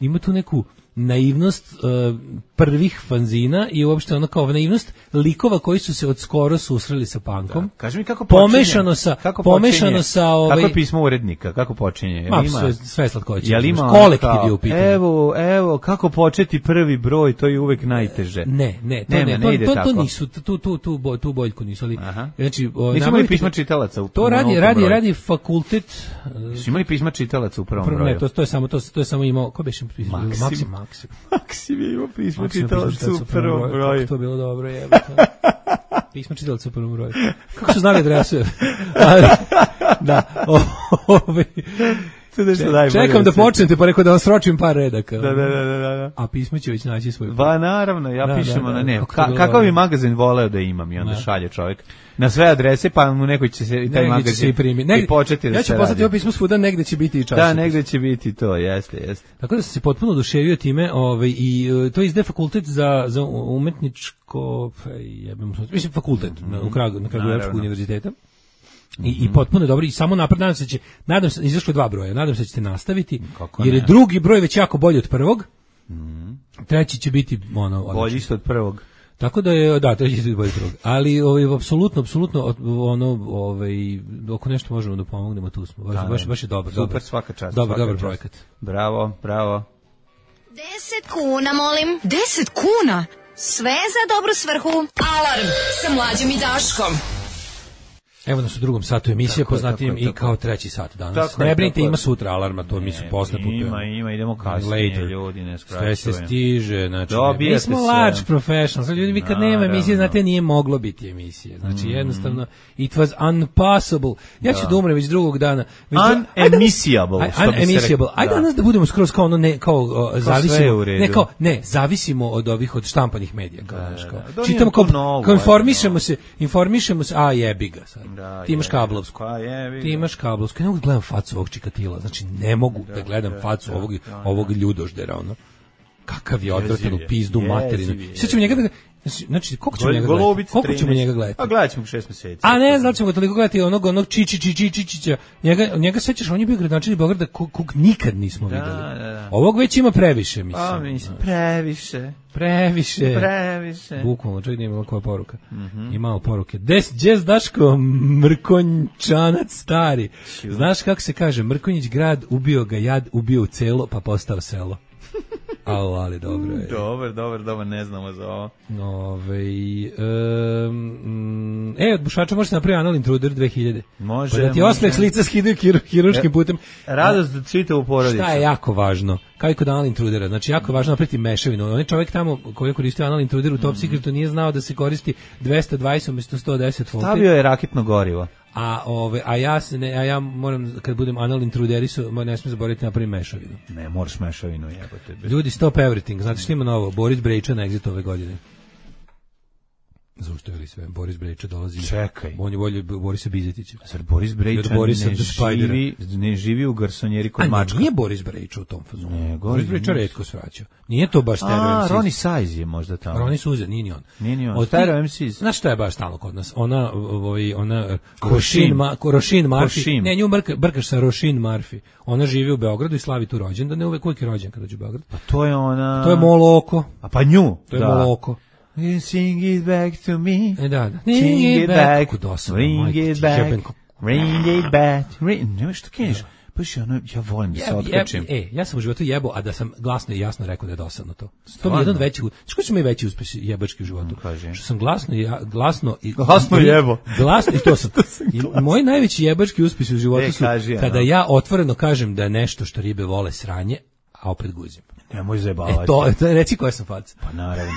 Ima tu neku naivnost prvih fanzina i uopšte ono kao naivnost likova koji su se od skoro susreli sa punkom. Kaži mi kako počinje. Pomešano sa kako je pismo urednika, kako počinje? Sve slatkoće. Kolektiv je u pitanju. Evo, kako početi prvi broj, to je uvek najteže. Ne ide tako. To nisu, tu boljku nisu, ali znači, nisu imali pisma čitalaca u to radi fakultet. Su imali pisma čitalaca u prvom broju? Ne, to je samo imao, ko beše pismo? Maksim je imao pismo čitalaca u prvom broju. Kako to bilo dobro, jebote. Pismo čitalaca u prvom broju. Kako su znali adresu? Da, čekam da počnete, pa rekao da vam sročim par redaka. Da. A pismo će već naći svoj put. Ba, naravno, ja pišem na ne. Kakav bi magazin voleo da imam i onda šalje čovjek na sve adrese, pa mu nekoj će se i taj magazin i početi da se radi. Ja ću poslati ovo pismo svuda, negde će biti i časopis. Da, negde će biti to, jeste. Tako da sam se potpuno oduševio time, i to izdaje fakultet za umetničko, mislim fakultet na Kragujevačkog univerziteta. I potpuno dobro, i samo napred nadam se, izašlo 2 broja, nadam se da ćete nastaviti, jer je drugi broj već jako bolji od prvog, treći će biti bolji isto od prvog. Tako da je, treći će biti bolji od prvog, ali apsolutno, ako nešto možemo da pomognemo, tu smo, baš je dobro. Super, svaka čast. Dobar projekat. Bravo. 10 kuna, molim. 10 kuna? Sve za dobru svrhu. Alarm sa Mlađom i Daškom. Evo nas u drugom satu emisije, poznatijem i kao treći sat danas. Ne brinite, ima sutra alarma, to mi su posle putujemo. Ima, idemo kasnije, ljudi, ne skraćujemo. Sve se stiže, znači, mi smo large professionals, ljudi, vi kad nema emisije, znate, nije moglo biti emisije, znači, jednostavno, it was impossible. Ja ću da umrem već drugog dana. Unemissiable, što bi se rekao. Ajde danas da budemo skroz kao zavisimo od ovih, od štampanih medija, čitamo kao, informišemo se, a jebi ga sad. Ti imaš kablovsku. Ne mogu da gledam facu ovog Čikatila. Znači, ne mogu da gledam facu ovog ljudoždera. Kakav je odvratan u pizdu materinu. Sve ćemo njega da... Znači, koliko ćemo njega gledati? A gledat ćemo 6 meseci. A ne, znači ćemo ga toliko gledati onog Čičića. Njega sećaš, on je bio gradonačelnik Beograda kog nikad nismo videli. Ovog već ima previše, mislim. Previše. Bukvalno, čovjek nije imao koja poruka. Imao poruke. Jazz Daško, Mrkonjčanac stari. Znaš kako se kaže, Mrkonjić grad, ubio ga jad, ubio u celo, pa postao selo. Ali dobro je. Dobro, ne znamo za ovo. Od Bušača može se napraviti Anal Intruder 2000. Može. Pa da ti osmeh s lica skidaju hiruškim putem. Radost da čita u porodicu. Šta je jako važno? Kao i kod Anal Intrudera. Znači, jako važno napraviti mešavinu. On je čovjek tamo koji je koristio Anal Intruder u Top Secretu nije znao da se koristi 220 umjesto 110 volti. Stavio je raketno gorivo. A ja moram, kad budem Anal Intruderisu, ne smijem zaboraviti napraviti mešavinu. Ne, moraš mešavinu, jebote. Ljudi, stop everything. Znate što ima novo? Boris Brejča na Exit ove godine. Zaustavite. zaustavili sve. Boris Brejča dolazi. Čekaj. On je bolje Borisa Bizetića. Zar Boris Brejča ne živi u garsonjeri kod Mačka? Nije Boris Brejča u tom fazonu. Boris Brejča retko svraća. Nije to baš Stereo MCs. Ronnie Size je možda tamo. Ronnie Suze, nije ni on. Nije ni on. Stereo MCs. Znaš šta je baš stalno kod nas? Ona Roisin Murphy. Ne, nju brkaš sa Roisin Murphy. Ona živi u Beogradu i slavi tu rođendan. Ne uvek je rođen kad dođe u Beograd. Pa to je ona... To je Moloko. A pa nju. To je Moloko. Sing it back to me. Da. Sing it back. Ring it back. Ring it back. Nemaš što keniš. Paš ja volim da se otkačim. Ja sam u životu jebo, a da sam glasno i jasno rekao da je dosadno to. To mi je jedan veći... Što su mi veći uspesi jebački u životu? Što sam glasno jebo. Glasno i to sam. Moji najveći jebački uspesi u životu su kada ja otvoreno kažem da je nešto što ribe vole sranje, a opet guzim. Nemoj zajebavati. To reci koja sam faca. Pa naravno.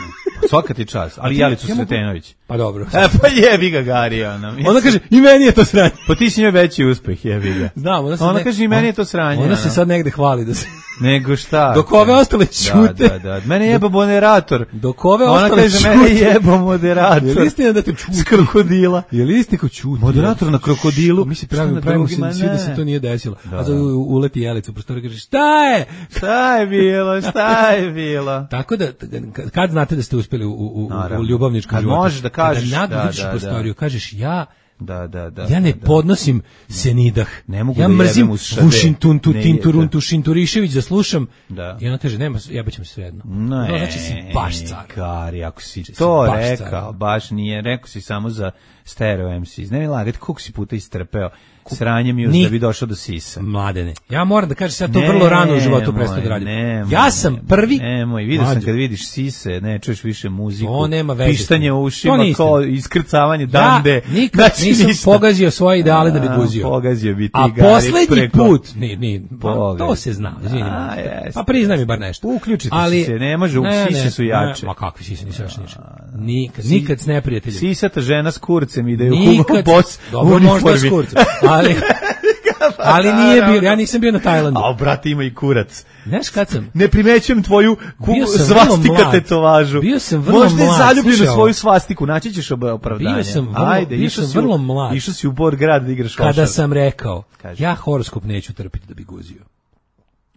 Svaka ti čast. Ali Jelicu Sretenović. Pa dobro. Pa jebi ga Garija. Ona kaže, i meni je to sranje. Pa ti si njoj veći uspeh, jebi ga. Znam. Ona kaže, i meni je to sranje. Ona se sad negde hvali da se... Nego šta? Dok ove ostale čute. Da. Mene jeba moderator. Dok ove ostale čute. Ona kaže, mene jeba moderator. Je li istina da te čute? S krokodila. Je li istina ko čute? Moderator na krokodilu. Mi se pravimo svi da se to nije desilo. A to uleti Jelica u prostoru i kaže, šta je? Šta je bilo? Tako da, kad znate da ste uspeli u ljubavničkom životu? Možeš da kažeš. Kada vidiš prostoriju, kažeš ja ja ne podnosim senidah. Ne mogu ja da mrzim Vušintuntu, Tinturuntu, Šinturišević da slušam. I ona kaže, nema, jebaćem se svejedno. Znači si baš car. Kari, ako si to rekao, baš nije, rekao si samo za Stereo MCs. Ne mi lagati, koliko si puta istrpeo sranjem još da bi došao do sisa. Mladene. Ja moram da kažem, sad to vrlo rano u životu prestao da radim. Ja sam prvi... vidio sam kad vidiš sise, ne čuješ više muziku, to nema veze. Pištanje u ušima, kao iskrcavanje dande. Ja nikad nisam pogazio svoje ideale da bi guzio. Pogazio bi ti a poslednji put, to se zna. Pa priznaj mi bar nešto. Uključite se, ne može, sise su jače. Ma kakvi sise nisu jače ništa. Nikad s neprijateljem. Sisata žena s kurcem ide u bos u uniformi. Ali nije bio, ja nisam bio na Tajlandu. A brate, ima i kurac. Znaš kad sam? Ne primećujem tvoju svastika tetovažu. Bio sam vrlo mlad. Možda je zaljubljen u svoju svastiku, naći ćeš opravdanje. Bio sam vrlo mlad. Išao si u Borgrad da igraš košarku. Kada sam rekao, ja horoskop neću trpiti da bi guzio.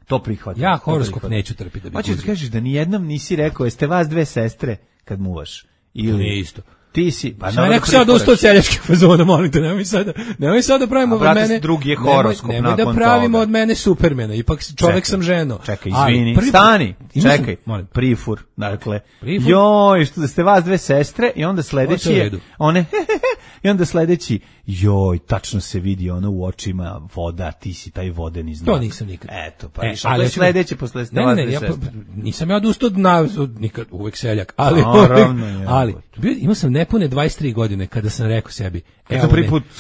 To prihvatam. Ja horoskop neću trpiti da bi guzio. Hoćeš da kažeš da nijednom nisi rekao, jeste vas dve sestre kad muvaš? Ili nije isto. Ti si, pa ja neko sad ustao celjačkih fazona, molim te, nemoj sada da pravimo od mene. Drugi je horoskop nakon toga. Nemoj da pravimo od mene Supermena, ipak čovjek sam ženo. Čekaj, izvini, stani, čekaj, prifur, dakle, joj, što da ste vas dve sestre i onda sledeći je, i onda sledeći, joj, tačno se vidi ono u očima voda, ti si taj vodeni znak. To nisam nikad. Eto, pa ali sledeće posle ste vas dve sestre. Nisam ja odustao nikad, uvek seljak, ali imao sam nepune 23 godine kada sam rekao sebi,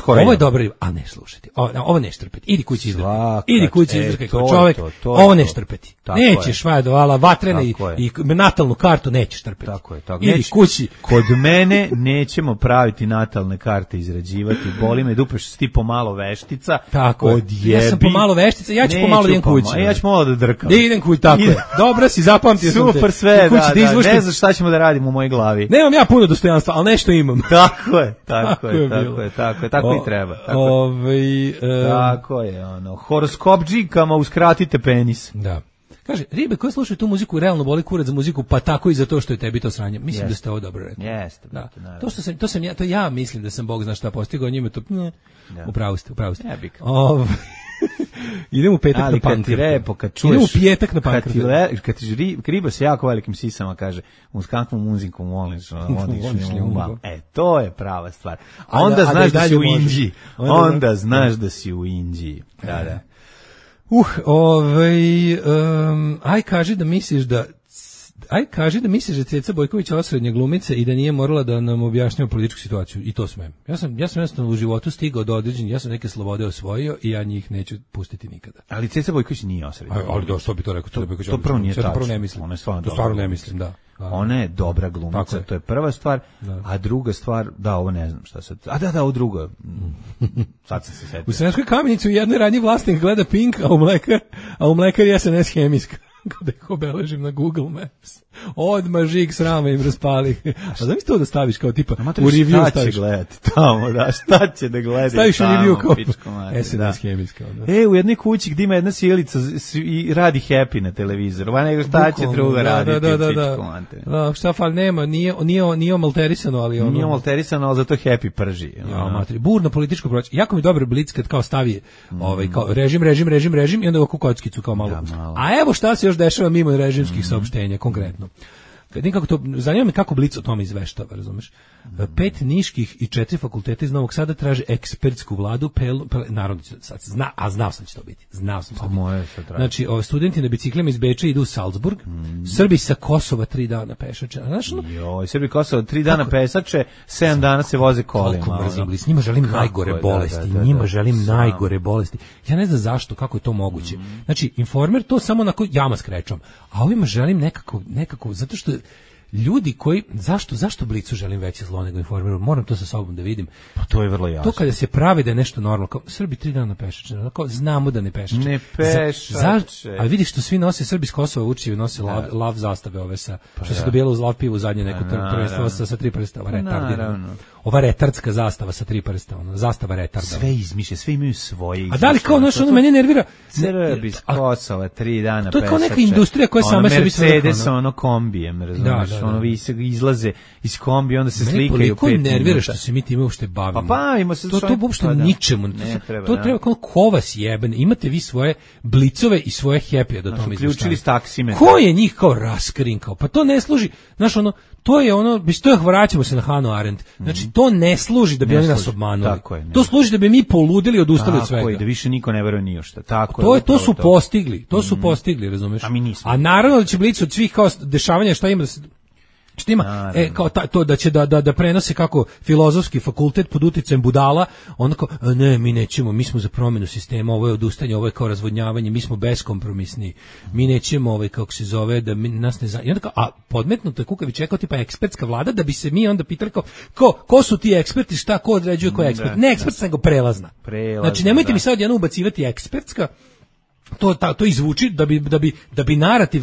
ovo je dobro, a ne slušajte, ovo ne štrpeti, idi kući izdrkaj kao čovjek, ovo ne štrpeti, nećeš vadovala vatrene i natalnu kartu nećeš trpeti, idi kući. Kod mene nećemo praviti natalne karte, izrađivati, boli me dupe što si ti pomalo veštica, odjebi. Ja sam pomalo veštica, ja ću pomalo idem kući. Ja ću malo da drkam. Idem kući, tako je. Dobro si, zapamtio sam te. Super sve, ne znaš šta ćemo da radimo u mojoj glavi. Nemam ja puno dostojanstva, ali nešto imam. Tako je, tako i treba. Tako je, horoskop džikama uskratite penis. Da. Kaže, ribe koje slušaju tu muziku realno boli kurac za muziku, pa tako i za to što je tebi to sranje. Mislim da ste ovo dobro rekli. Jeste. To ja mislim da sam Bog zna šta postigao, njima to upravo ste. Idem u petak na pankratu. Idem u petak na pankratu. Kad ti riba se jako velikim sisama kaže, uz kakvom muzikom voliš umba. To je prava stvar. Onda znaš da si u Indiji. Onda znaš da si u Indiji. Da. Aj kaži da misliš da Ceca Bojković osrednja glumica i da nije morala da nam objašnjava političku situaciju. I to smem. Ja sam jednostavno u životu stigao do određenih, ja sam neke slobode osvojio i ja njih neću pustiti nikada. Ali Ceca Bojković nije osrednja. Ali što bi to rekao? To prvo nije tačno. To stvarno ne mislim, da. Ona je dobra glumica, to je prva stvar, a druga stvar, ovo ne znam šta sad. Ovo drugo. Sad sam se setio. U Sremskoj Kamenici u jednoj radnji vlasnik gleda Pink, a u mlekari SNS hemijska. kada ih obeležim na Google Maps. Odmah žig srama im raspali. A da mi to da staviš kao tipa u review šta staviš. Će gledati tamo, da, šta će da gleda staviš u review kao SNS hemijska. U jednoj kući gdje ima jedna sjelica i radi Happy na televizoru. Va nego šta će druga raditi u pičku materinu. Šta fal nema, nije omalterisano, ali ono... Nije omalterisano, ali zato Happy prži. Burno političko proći. Jako mi dobro Blic kad kao stavi kao režim i onda ovako kockicu kao malo. A evo šta se još dešava mimo režimskih saopštenja, konkretno. Nikako to, zanima me kako Blic o tome izveštava, razumeš? 5 niških i 4 fakulteta iz Novog Sada traže ekspertsku vladu, naravno, znao sam će to biti. Znači, studenti na biciklima iz Beča idu u Salzburg, Srbi sa Kosova 3 dana pešače. Srbi Kosova 3 dana pešače, 7 dana se voze kolima. Koliko mrzim Blic, njima želim najgore bolesti. Ja ne znam zašto, kako je to moguće. Znači, Informer to samo na jama s krečom, a ovima želim nekako, zato što ljudi koji, zašto Blicu želim veće zlo nego Informeru, moram to sa sobom da vidim. Pa to je vrlo jasno. To kada se pravi da je nešto normalno, kao Srbi 3 dana pešače, znamo da ne pešače. Ne pešače. Ali vidiš što svi nose, Srbi s Kosova Vučićevi nose lav zastave ove sa, što se dobijalo uz lav pivu zadnje neko prvenstvo sa 3 prsta, ova retardska zastava sa 3 prsta, zastava retarda. Sve izmišlja, sve imaju svoje izmišlja. A da li kao ono mene nervira? Srbi s Kosova 3 dana pešače. To je kao neka industrija koja sama sebi sve Mercedes, kombijem, razumiješ? Izlaze iz kombi, onda se slikaju 5 minuta. Koliko nervira što se mi time uopšte bavimo? Pa bavimo se. To uopšte ničemu. To treba kao ko vas jeben. Imate vi svoje Blicove i svoje Happy do tome izveštavaju. Uključili s taksimetra. Ko je njih kao raskrinkao? Pa to ne služi. Znaš, to je vraćamo se na Hannah Arendt. Znači, to ne služi da bi oni nas obmanuli. To služi da bi mi poludili i odustali od svega. Tako je, da više niko ne veruje ni u šta. To su postigli. To su postigli, razumeš? A mi nismo. A naravno da će Blic od svih kao dešavanja šta ima što ima kao to da će da prenose kako filozofski fakultet pod uticajem budala, onako ne, mi nećemo, mi smo za promjenu sistema, ovo je odustajanje, ovo je kao razvodnjavanje, mi smo beskompromisni, mi nećemo kako se zove, da nas ne i onda kao, a podmetnuto je Kukavić rekao tipa ekspertska vlada, da bi se mi onda pitali ko su ti eksperti, šta ko određuje ko je ekspert, ne ekspertska nego prelazna. Znači nemojte mi sad odjednom ubacivati ekspertska, to izvuči da bi narativ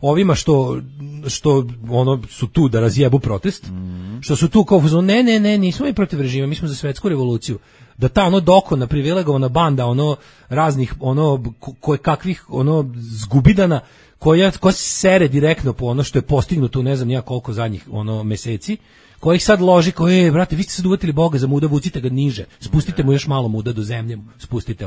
ovima što su tu da razjebu protest, što su tu kao ne, nismo mi protiv režima, mi smo za svetsku revoluciju, da ta dokona privilegovana banda raznih kakvih zgubidana koja sere direktno po ono što je postignuto u ne znam nija koliko zadnjih meseci, kojih sad loži, brate, vi ste sad uvatili Boga za muda, vucite ga niže, spustite mu još malo muda do zemlje, spustite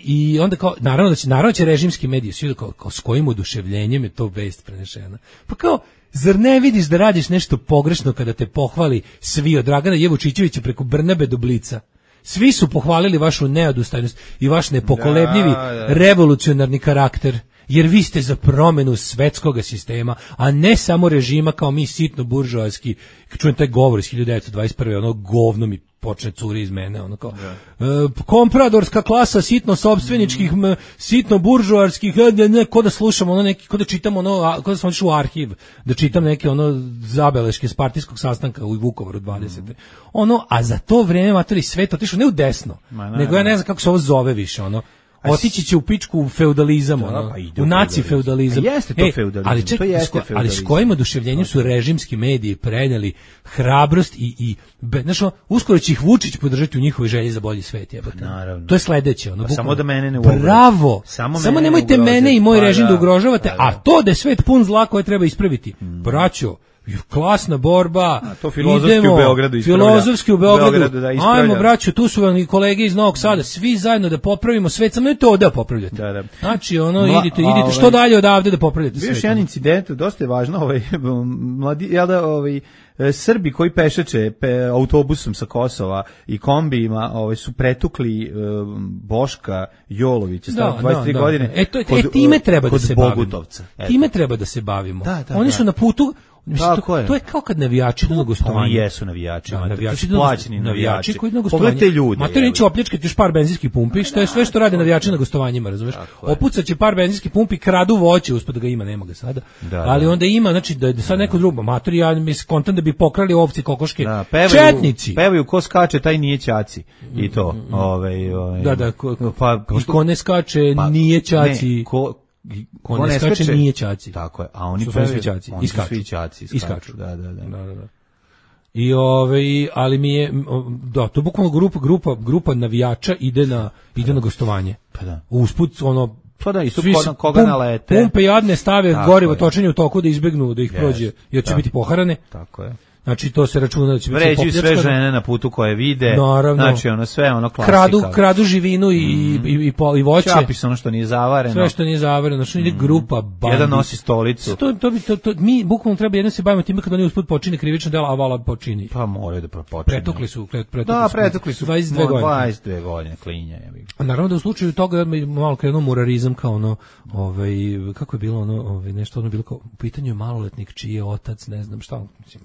i onda kao, naravno će režimski mediji svi kao s kojim oduševljenjem je to vest prenešena. Pa kao, zar ne vidiš da radiš nešto pogrešno kada te pohvali svi od Dragana Jevučićevića preko Brnabe do Blica? Svi su pohvalili vašu neodustajnost i vaš nepokolebljivi revolucionarni karakter, jer vi ste za promjenu svetskog sistema, a ne samo režima kao mi sitno buržoaski. Čujem taj govor iz 1921. Govno mi počne curi iz mene, kompradorska klasa sitno sopstveničkih, sitno buržoarskih, ko da slušam ko da čitam ko da sam otišao u arhiv, da čitam neke zabeleške s partijskog sastanka u Vukovaru 20. A za to vreme matori svet otišao ne u desno, nego ja ne znam kako se ovo zove više, otići će u pičku u feudalizam, u naci feudalizam. Jeste to feudalizam, ali s kojim oduševljenjem su režimski mediji preneli hrabrost i uskoro će ih Vučić podržati u njihovoj želji za bolji svet. To je sledeće. Samo da mene ne ugrožavate. Bravo! Samo nemojte mene i moj režim da ugrožavate, a to da je svet pun zla koje treba ispraviti. Braćo, klasna borba. To filozofski u Beogradu ispravlja. Filozofski u Beogradu. Ajmo, braćo, tu su vam i kolege iz Novog Sada, svi zajedno da popravimo svet, samo ne to da popravljate. Znači, idite što dalje odavde da popravljate svet. Bio još jedan incident, dosta je važno, Srbi koji pešače autobusom sa Kosova i kombijima su pretukli Boška Jolovića, starog 23 godine. Time treba da se bavimo. Bogutovca. Time treba da se bavimo. Oni su na putu. To je kao kad navijači idu na gostovanje. Oni jesu navijači. Navijači plaćeni navijači koji idu na gostovanje. Pogledajte ljude. Matori će opljačkati još par benzinskih pumpi, što je sve što rade navijači na gostovanjima, razumeš? Opucaće par benzinskih pumpi, kradu voće, uspod da ga ima, nema ga sada. Ali onda ima, znači da sad neko drugo, matori, ja mislim kontent da bi pokrali ovce, kokoške, četnici. Pevaju ko skače, taj nije ćaci. I to. Da, ko ne skače, nije ćaci. ko ne skače nije ćaci. Tako je, a oni su pevaju svi ćaci. Iskaču. Da. I ali mi je to bukvalno grupa navijača ide na gostovanje. Pa da. Usput pa da, isto koga nalete. Pumpe jadne stave gorivo točenje u toku da izbegnu da ih prođe, jer će biti poharane. Tako je. Znači to se računa da će biti vređuju sve žene na putu koje vide. Naravno. Znači sve klasika. Kradu živinu i voće. Čapi ono što nije zavareno. Sve što nije zavareno, znači ide grupa bandi. Jedan nosi stolicu. To mi bukvalno treba jedno se bavimo time kad oni usput počine krivično delo, a vala počini. Pa moraju da počine. Pretukli su 22 godine klinja. A naravno da u slučaju toga malo krenuo murarizam kao kako je bilo nešto bilo kao u pitanju je maloletnik čiji je otac, ne znam šta, mislim,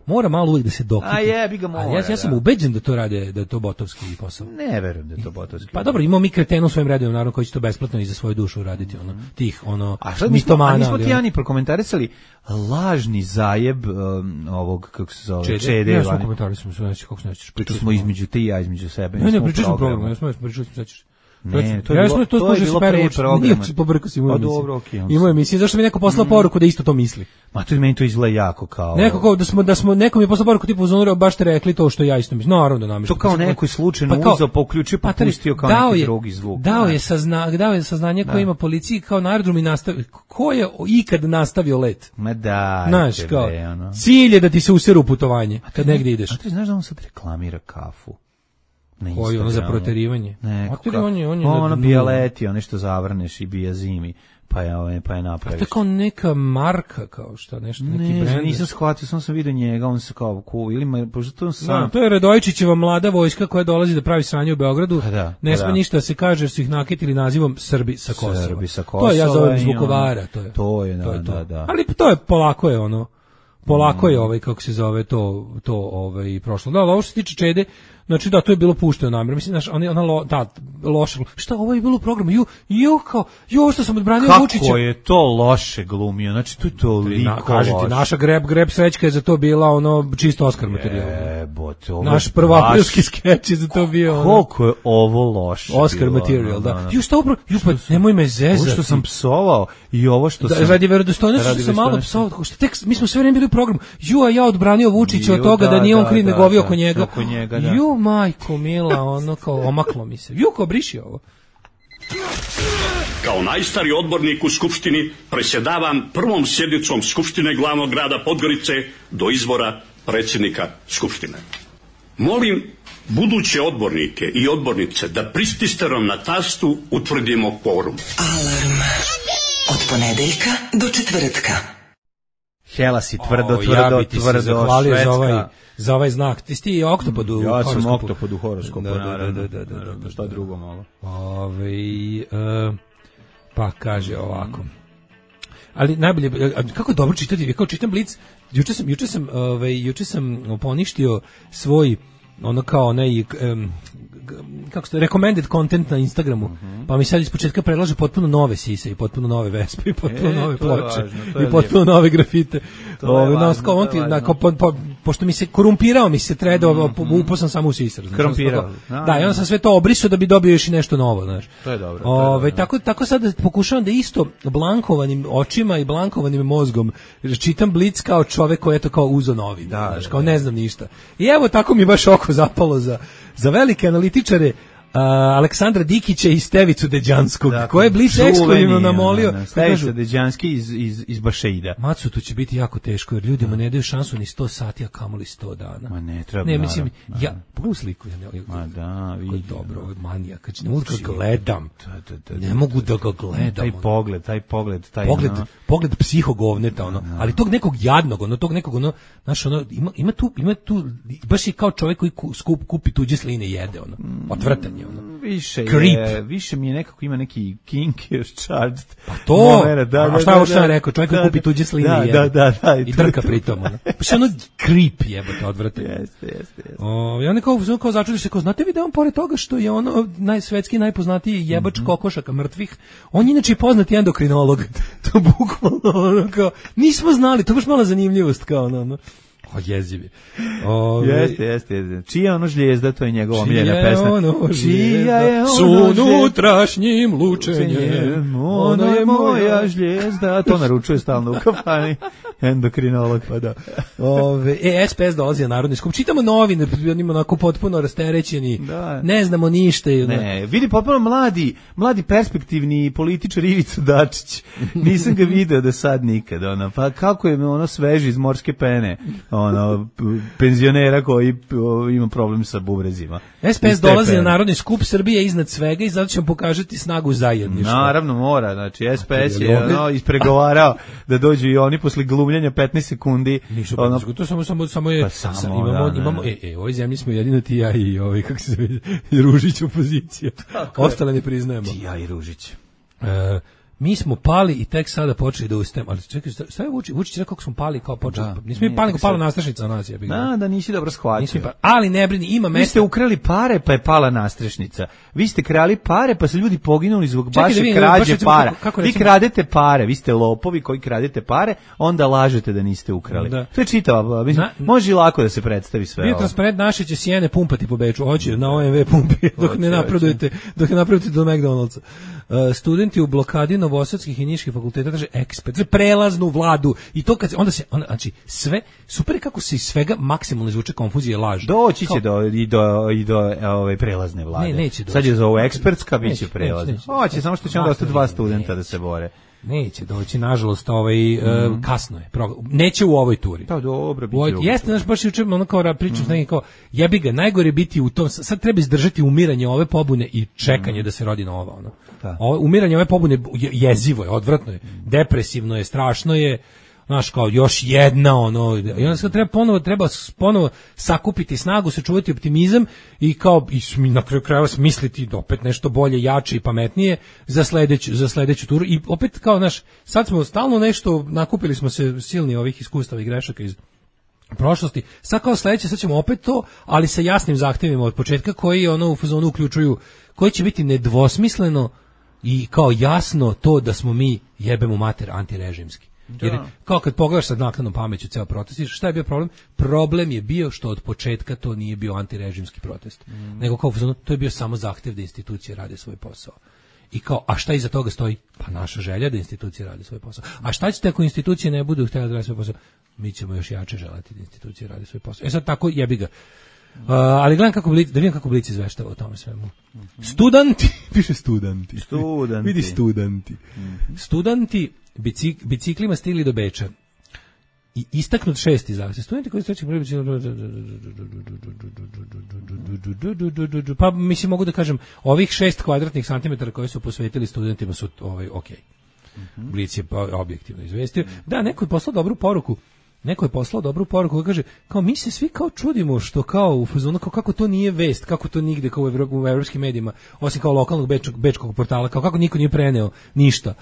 mora malo uvijek da se dokiti. A jebi ga mora. Ja sam ubeđen da to rade, da je to botovski posao. Ne verujem da je to botovski. Pa dobro, imamo mi kretenu u svojim redovima, naravno, koji će to besplatno i za svoju dušu raditi, tih, mitomana. A nismo ti Ani prokomentarisali lažni zajeb ovog, kako se zove, Čede. Ja smo komentarisali, kako se nećeš. Pričali smo između ti i ja, između sebe. Ne, pričali smo programu, ja smo pričali smo sećaš. Ne, to je bilo pre programa. Nije se pobrkao si mu emisiju. Imao emisiju, zašto mi neko poslao poruku da isto to misli? Ma to meni to izgleda jako kao... Nekom je poslao poruku tipu uzonuro, baš ste rekli to što ja isto mislim. Naravno da namešno. To kao neko je slučajno uzeo, uključio, pa pustio kao neki drugi zvuk. Dao je saznanje koje ima policiji kao na aerodromu i nastavio. Ko je ikad nastavio let? Ma da. Znaš, kao, cilj je da ti se useru putovanje kad negdje ideš. A ti znaš da on sad reklamira kafu? Koji ono za proterivanje? Ono bijaleti, ono što zavrneš i bija zimi, pa je napraviš. A to je kao neka marka, kao šta, nešto, neki brend. Nisam shvatio, sam vidio njega, on se kao to je Radojičićeva mlada vojska koja dolazi da pravi sranje u Beogradu. Ne sme ništa da se kaže jer su ih nakitili nazivom Srbi sa Kosova. To ja zovem Zvukovara. To je, da. Ali to je polako je kako se zove to prošlo. Da, ovo što se tiče Čede, znači da, to je bilo pušteno namjerno. Mislim, znaš, loše. Šta, ovo je bilo u programu? Što sam odbranio Vučića. Kako je to loše glumio? Znači, to je toliko loše. Kažete, naša greb srećka je za to bila čisto Oskar materijal. Naš prvoaprilski skeč je za to bio koliko je ovo loše. Oskar materijal, da. Šta upravo, nemoj me zezati. Ovo što sam psovao i ovo što sam... Radi verodostojnosti što sam malo psovao. Mi smo sve vreme bili u programu. A ja odbranio Vučića od toga da nije on kriv nego ovi oko njega. Majko mila, kao omaklo mi se. Ko briši ovo? Kao najstariji odbornik u Skupštini presjedavam prvom sjednicom Skupštine glavnog grada Podgorice do izbora predsjednika Skupštine. Molim buduće odbornike i odbornice da prististerom na tastu utvrdimo kvorum. Alarm od ponedeljka do četvrtka. Hela si tvrdo, Švedska. Za ovaj znak. Ti si oktopod u horoskopu. Ja sam oktopod u horoskopu, naravno. Šta drugo malo? Pa kaže ovako. Ali najbolje, kako je dobro čitati, kao čitam Blic, juče sam poništio svoj, kako se recommended content na Instagramu, pa mi sad ispočetka predlaže potpuno nove sise i potpuno nove vespe i potpuno nove ploče i potpuno nove grafite. Pošto mi se korumpirao, mi se tredo, upao sam samo u sisar. Korumpirao. Da, i onda sam sve to obrisao da bi dobio još i nešto novo, znaš. To je dobro. Tako sad pokušavam da isto blankovanim očima i blankovanim mozgom čitam Blic kao čovek koji je to kao uzo novi, znaš, kao ne znam ništa. I evo tako mi baš oko zapalo za velike analitičare Aleksandra Dikića i Stevicu Deđanskog, koje je Blic ekskluzivno namolio. Stevica Deđanski iz Bašeida. Macu, to će biti jako teško, jer ljudima ne daju šansu ni 100 sati, a kamoli 100 dana. Ma ne, treba. Ne, mislim, pogledam sliku. Ma da, vidim. Dobro, ovo je manija, kad ne mogu da ga gledam. Ne mogu da ga gledam. Taj pogled. Pogled psihogovneta, ali tog nekog jadnog, tog nekog, znaš, ima tu, baš je kao čovjek koji kupi tuđe sline i jede, odvrtanje. Više mi je nekako ima neki kinky charged. Pa to, a šta sam rekao, čovjek koji kupi tuđe sline i drka pritom. Pa što creep jebote, odvrtanje. Jeste. I onda kao začudiš se, znate vi da on pored toga što je svetski najpoznatiji jebač kokošaka mrtvih, on je inače poznati endokrinolog. To bukvalno, nismo znali, to baš mala zanimljivost, kao jezivi. Jeste. Čija ono žlijezda, to je njegova omiljena pesma. Čija je ono s unutrašnjim lučenjem, ona je moja žlijezda. To naručuje stalno u kafani. Endokrinolog. Pa da. SPS dolazi na Narodni skup. Čitamo novine, onima onako potpuno rasterećeni. Da. Ne znamo ništa. Ne, vidi potpuno mladi perspektivni političar Ivica Dačić. Nisam ga video do sad nikad. Pa kako je ono sveži iz morske pene, penzionera koji ima problem sa bubrezima. SPS dolazi na Narodni skup, Srbije iznad svega i zato ćemo pokažati snagu zajedništva. Naravno mora, znači SPS je ispregovarao da dođu i oni posle glumljenja 15 sekundi. To samo je imamo u ovoj zemlji smo jedino ti ja i kako se zove Ružić opozicija. Ostale ne priznajemo. Ti ja i Ružić. Mi smo pali i tek sada počeli da ustajemo. Ali čekaj, šta je Vučić rekao kako smo pali kao počeli? Nismo mi pali, pala nastrešnica na nas. Da, nisi dobro shvatio. Ali ne brini, ima mesta. Vi ste ukrali pare pa je pala nastrešnica. Vi ste krali pare pa su ljudi poginuli zbog vaše krađe para. Vi kradete pare, vi ste lopovi koji kradete pare, onda lažete da niste ukrali. To je čitava, može lako da se predstavi sve. Bio transparent naše će sjene pumpati po Beču. Hoće na OMV pumpi dok ne napredujete do McDonald'sa. Studenti u blokadi novosadskih i niških fakulteta traže prelaznu vladu i to kad znači sve super kako se iz svega maksimalno izvuče konfuzija i laž. Doći će do ove prelazne vlade. Neće doći. Sad je za ovo ekspertska biće prelazna. Hoće samo što će onda ostati 2 studenta da se bore. Neće doći, nažalost, kasno je. Neće u ovoj turi. Da, dobro, biće. Jeste, znaš, baš juče ono kao pričam s nekim kao, jebi ga, najgore biti u tom, sad treba izdržati umiranje ove pobune i čekanje da se rodi nova, ono. Umiranje ove pobune jezivo je, odvratno je, depresivno je, strašno je, znaš, kao još jedna, i onda se treba ponovo sakupiti snagu, sačuvati optimizam i kao, i na kraju krajeva smisliti opet nešto bolje, jače i pametnije za sledeću turu i opet kao, znaš, sad smo stalno nešto, nakupili smo se silni ovih iskustava i grešaka iz prošlosti, sad kao sledeće, sad ćemo opet to, ali sa jasnim zahtevima od početka koji u fazonu uključuju, koji će biti nedvosmisleno i kao jasno to da smo mi jebemo mater antirežimski. Jer kao kad pogledaš sad naknadnom pameću ceo protest, šta je bio problem? Problem je bio što od početka to nije bio antirežimski protest. Nego kao to je bio samo zahtev da institucije rade svoj posao. I kao, a šta iza toga stoji? Pa naša želja da institucije rade svoj posao. A šta ćete ako institucije ne budu htjeli da rade svoj posao? Mi ćemo još jače želati da institucije rade svoj posao. Sad tako jebi ga. Ali gledam da vidim kako Blic izveštava o tome svemu. Studenti, piše studenti. Vidi studenti. Studenti biciklima stigli do Beča i istaknut 6. zahtjev. Studenti koji streći pa mislim mogu da kažem ovih 6 kvadratnih santimetara koje su posvetili studentima su ok. Blic je objektivno izvestio. Da, neko je poslao dobru poruku. Koji kaže, kao mi se svi kao čudimo što kao u fazonu, kao kako to nije vest, kako to nigde kao u evropskim medijima, osim kao lokalnog bečkog portala, kao kako niko nije preneo ništa.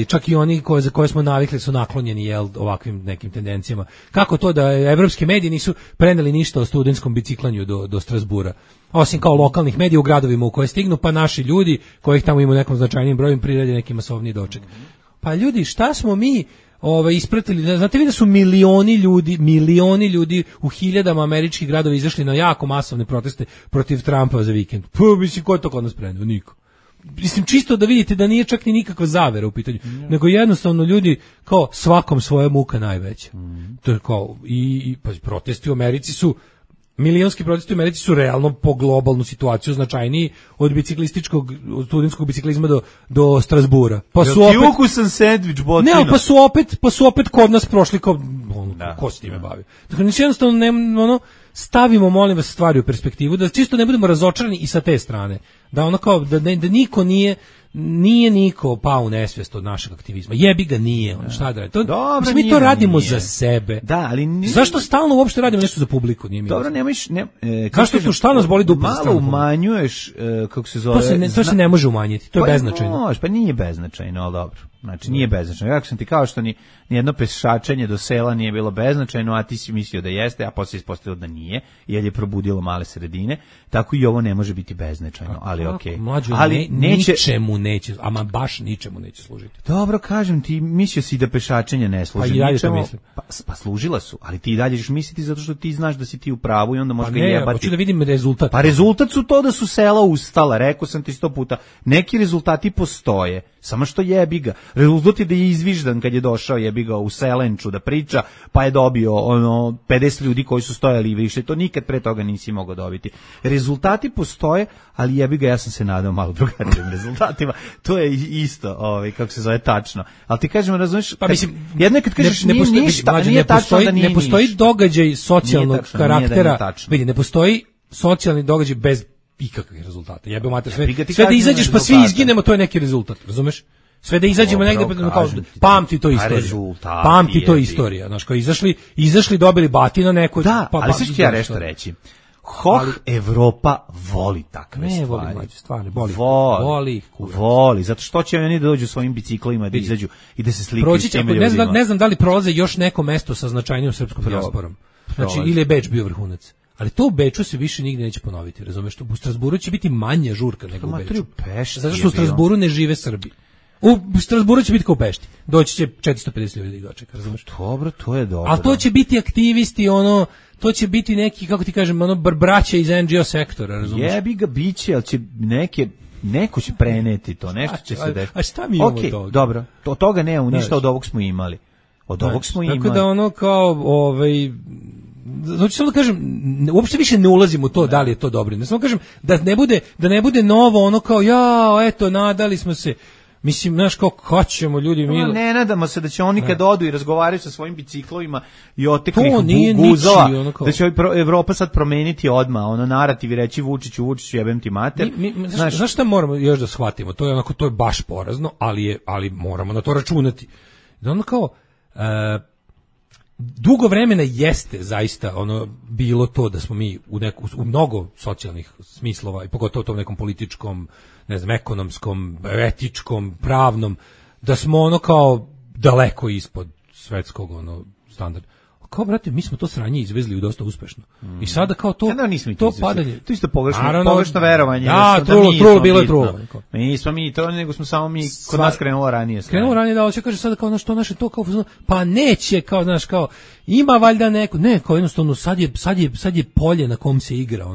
Čak i oni za koje smo navikli su naklonjeni ovakvim nekim tendencijama. Kako to da evropski mediji nisu preneli ništa o studentskom biciklanju do Strasbura? Osim kao lokalnih medija u gradovima u koje stignu, pa naši ljudi kojih tamo ima u nekom značajnim broju prirede neki masovni doček. Pa ljudi, šta smo mi ispratili, znate vi da su milioni ljudi u hiljadama američkih gradova izašli na jako masovne proteste protiv Trumpa za vikend. Pa mislim, ko je to kod nas preneo? Niko. Mislim, čisto da vidite da nije čak ni nikakva zavera u pitanju, nego jednostavno ljudi kao svakom svoja muka najveća. To je kao, pa protesti u Americi su, milionski protesti u Americi su realno po globalnu situaciju značajniji od studentskog biciklizma do Strasbura. Pa su opet ukusan sendvič botino. Ne, pa su opet kod nas prošli kao ko se time bavi. Dakle, jednostavno stavimo, molim vas, stvari u perspektivu, da čisto ne budemo razočarani i sa te strane. Da ono kao da niko nije niko pao u nesvijest od našeg aktivizma. Jebi ga nije, šta da radi. Mi to radimo za sebe. Da, ali zašto stalno uopšte radimo nešto za publiku? Nije mi dobro, kažete šta nas boli dupe. Malo umanjuješ, kako se zove. To se ne može umanjiti. To je beznačajno. Pa nije beznačajno, ali dobro. Znači nije beznačajno. Kako sam ti kao što ni jedno pešačenje do sela nije bilo beznačajno, a ti si mislio da jeste, a posle ispostavilo da nije, jer je probudilo male sredine, tako i ovo ne može biti beznačajno, ali okej. Ali ničemu neće, ama baš ničemu neće služiti. Dobro, kažem ti, mislio si da pešačenje ne služi ničemu. Pa služila su, ali ti dalje ćeš misliti zato što ti znaš da si ti u pravu i onda možeš ga jebati. Hoću da vidim rezultat. Pa rezultat su to da su sela ustala, rekao sam ti 100 puta. Neki rezultati postoje, samo što jebi ga. Rezultat je da je izviždan kad je došao, jebi ga, u Selenču da priča, pa je dobio 50 ljudi koji su stojali i više. To nikad pre toga nisi mogao dobiti. Rezultati postoje, ali jebi ga, ja sam se nadao malo drugačijim rezultatima. To je isto, kako se zove, tačno. Ali ti kažem, razumiješ, pa mislim, jedno kad kažeš nije ništa, nije tačno da nije ništa. Ne postoji događaj socijalnog karaktera. Vidi, ne postoji socijalni događaj bez ikakvih rezultata. Jebe mater, sve da izađeš pa svi izginemo, to je neki rezultat, razumeš? Sve da izađemo negde, kao, pamti to istorija. Pamti to istorija. Znaš, kao izašli dobili batino neko. Da, ali sve što ja nešto reći. Evropa voli takve stvari. Ne voli mlađe stvari, voli, zato što će oni da dođu svojim biciklima, da izađu i da se slikaju s tim ljudima. Ne znam da li prolaze još neko mesto sa značajnijom srpskom dijasporom. Znači, ili je Beč bio vrhunac. Ali to u Beču se više nigde neće ponoviti, razumeš? U Strasburu će biti manja žurka nego u Beču. Zato što u Strasburu ne žive Srbi. U Strasburu će biti kao u Pešti. Doći će 450 ljudi da dočeka, razumeš? Dobro, to je dobro. A to će biti aktivisti, to će biti neki, kako ti kažem, braća iz NGO sektora, razumeš? Jebi ga biće, ali će neko će preneti to, nešto će se desiti. A šta mi imamo toga? Dobro, od toga nemamo ništa, od ovog smo imali. Tako da kao, znači samo da kažem, uopšte više ne ulazim u to da li je to dobro. Ne samo kažem da ne bude novo kao eto nadali smo se. Mislim, znaš kako ćemo ljudi mi. Ne nadamo se da će oni kad odu i razgovaraju sa svojim biciklovima i oteklih guzova, da će Evropa sad promeniti odmah, narativ i reći Vučiću jebem ti mater. Znaš šta moramo još da shvatimo? To je baš porazno, ali moramo na to računati. Da kao dugo vremena jeste zaista bilo to da smo mi u mnogo socijalnih smislova i pogotovo u tom nekom političkom, ne znam, ekonomskom, etičkom, pravnom, da smo kao daleko ispod svetskog standarda. Kao, brate, mi smo to sranje izvezli dosta uspešno. I sada kao to padanje. To isto pogrešno verovanje. Trulo, bilo je trulo. Nismo mi to, nego smo samo mi kod nas krenulo ranije. Da, hoće kaže sada kao što naše to kao, pa neće, kao, znaš, kao, ima valjda neko, ne, kao jednostavno, sad je polje na kom se igra,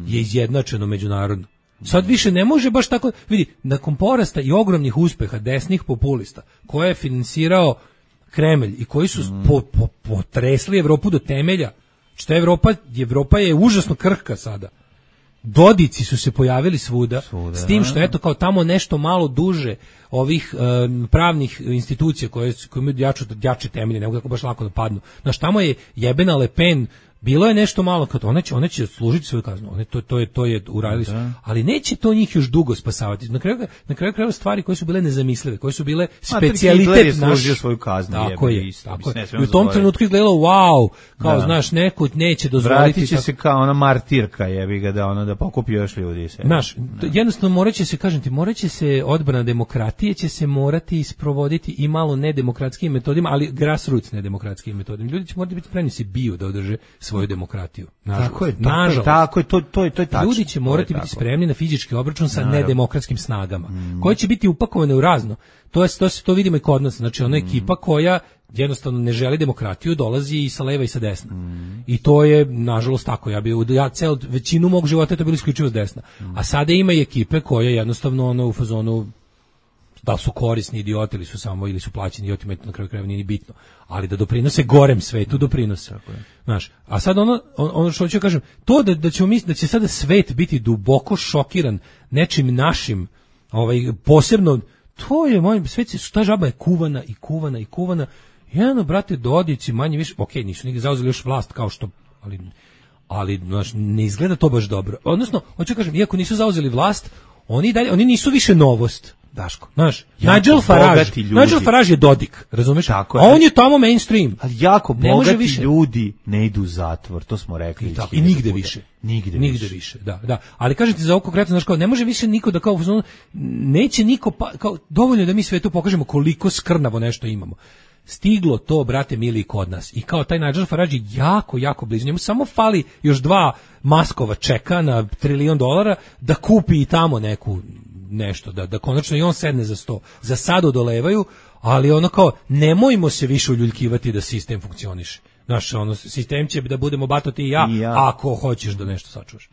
je izjednačeno međunarodno. Sad više ne može baš tako, vidi, nakon porasta i ogromnih uspeha desnih populista, koje je finansirao Kremelj i koji su potresli Evropu do temelja, što Evropa je užasno krhka sada. Dodici su se pojavili svuda, s tim što eto kao tamo nešto malo duže ovih pravnih institucija koje imaju jače temelje, nego kako baš lako da padnu. Znaš, tamo je jebena Le Pen, bilo je nešto malo, kad one će služiti svoju kaznu, to je uradili su, ali neće to njih još dugo spasavati. Na kraju stvari koje su bile nezamislive, koje su bile specijalitet naš, svoju kaznu. Tako je. I u tom trenutku je gledalo, wow, kao znaš, neko neće dozvoliti. Vratit će se kao ona martirka, jebi ga, da pokupi još ljudi. Znaš, jednostavno morat će se odbrana demokratije će se morati isprovoditi i malo nedemokratskim metodima, ali grassroots nedemokratskim metodima. Ljudi će morati biti spremni se biju da održe svoju demokratiju. Nažalost. Tako je, to je tačno. Ljudi će morati biti spremni na fizički obračun sa nedemokratskim snagama, koje će biti upakovane u razno. To vidimo i kod nas. Znači, ona ekipa koja jednostavno ne želi demokratiju, dolazi i sa leva i sa desna. I to je, nažalost, tako. Ja celu većinu mog života je to bilo isključivo s desna. A sada ima i ekipe koje jednostavno u fazonu, da su korisni idioti ili su plaćeni idiotima, na kraju krajeva nije ni bitno, ali da doprinose gorem svetu, doprinose. Znaš, a sad ono što ću kažem, to da ćemo misliti da će sada svet biti duboko šokiran nečim našim, posebno, to je svet se, ta žaba je kuvana. Jedno, brate, Dodici manje više, nisu nigde zauzeli još vlast kao što, ali znaš, ne izgleda to baš dobro. Odnosno, hoću kažem, iako nisu zauzeli vlast, oni nisu više novost. Daško, znaš, Nigel Farage je Dodik, razumeš? A on je tamo mainstream. Ali jako bogati ljudi ne idu u zatvor, to smo rekli. I nigde više. Nigde više, da. Ali kažem ti za ovo konkretno, znaš, kao, ne može više niko da kao, neće niko, kao, dovoljno da mi svetu pokažemo koliko skrnavo nešto imamo. Stiglo to, brate mili, kod nas. I kao taj Nigel Farage je jako, jako blizu. Njemu samo fali još 2 maskova čeka na $1 trilion da kupi i tamo nešto, da konačno i on sedne za sto. Za sad odolevaju, ali ono kao, nemojmo se više uljuljkivati da sistem funkcioniše. Znaš, ono, sistem će da budemo Bato ti i ja, ako hoćeš da nešto sačuvaš.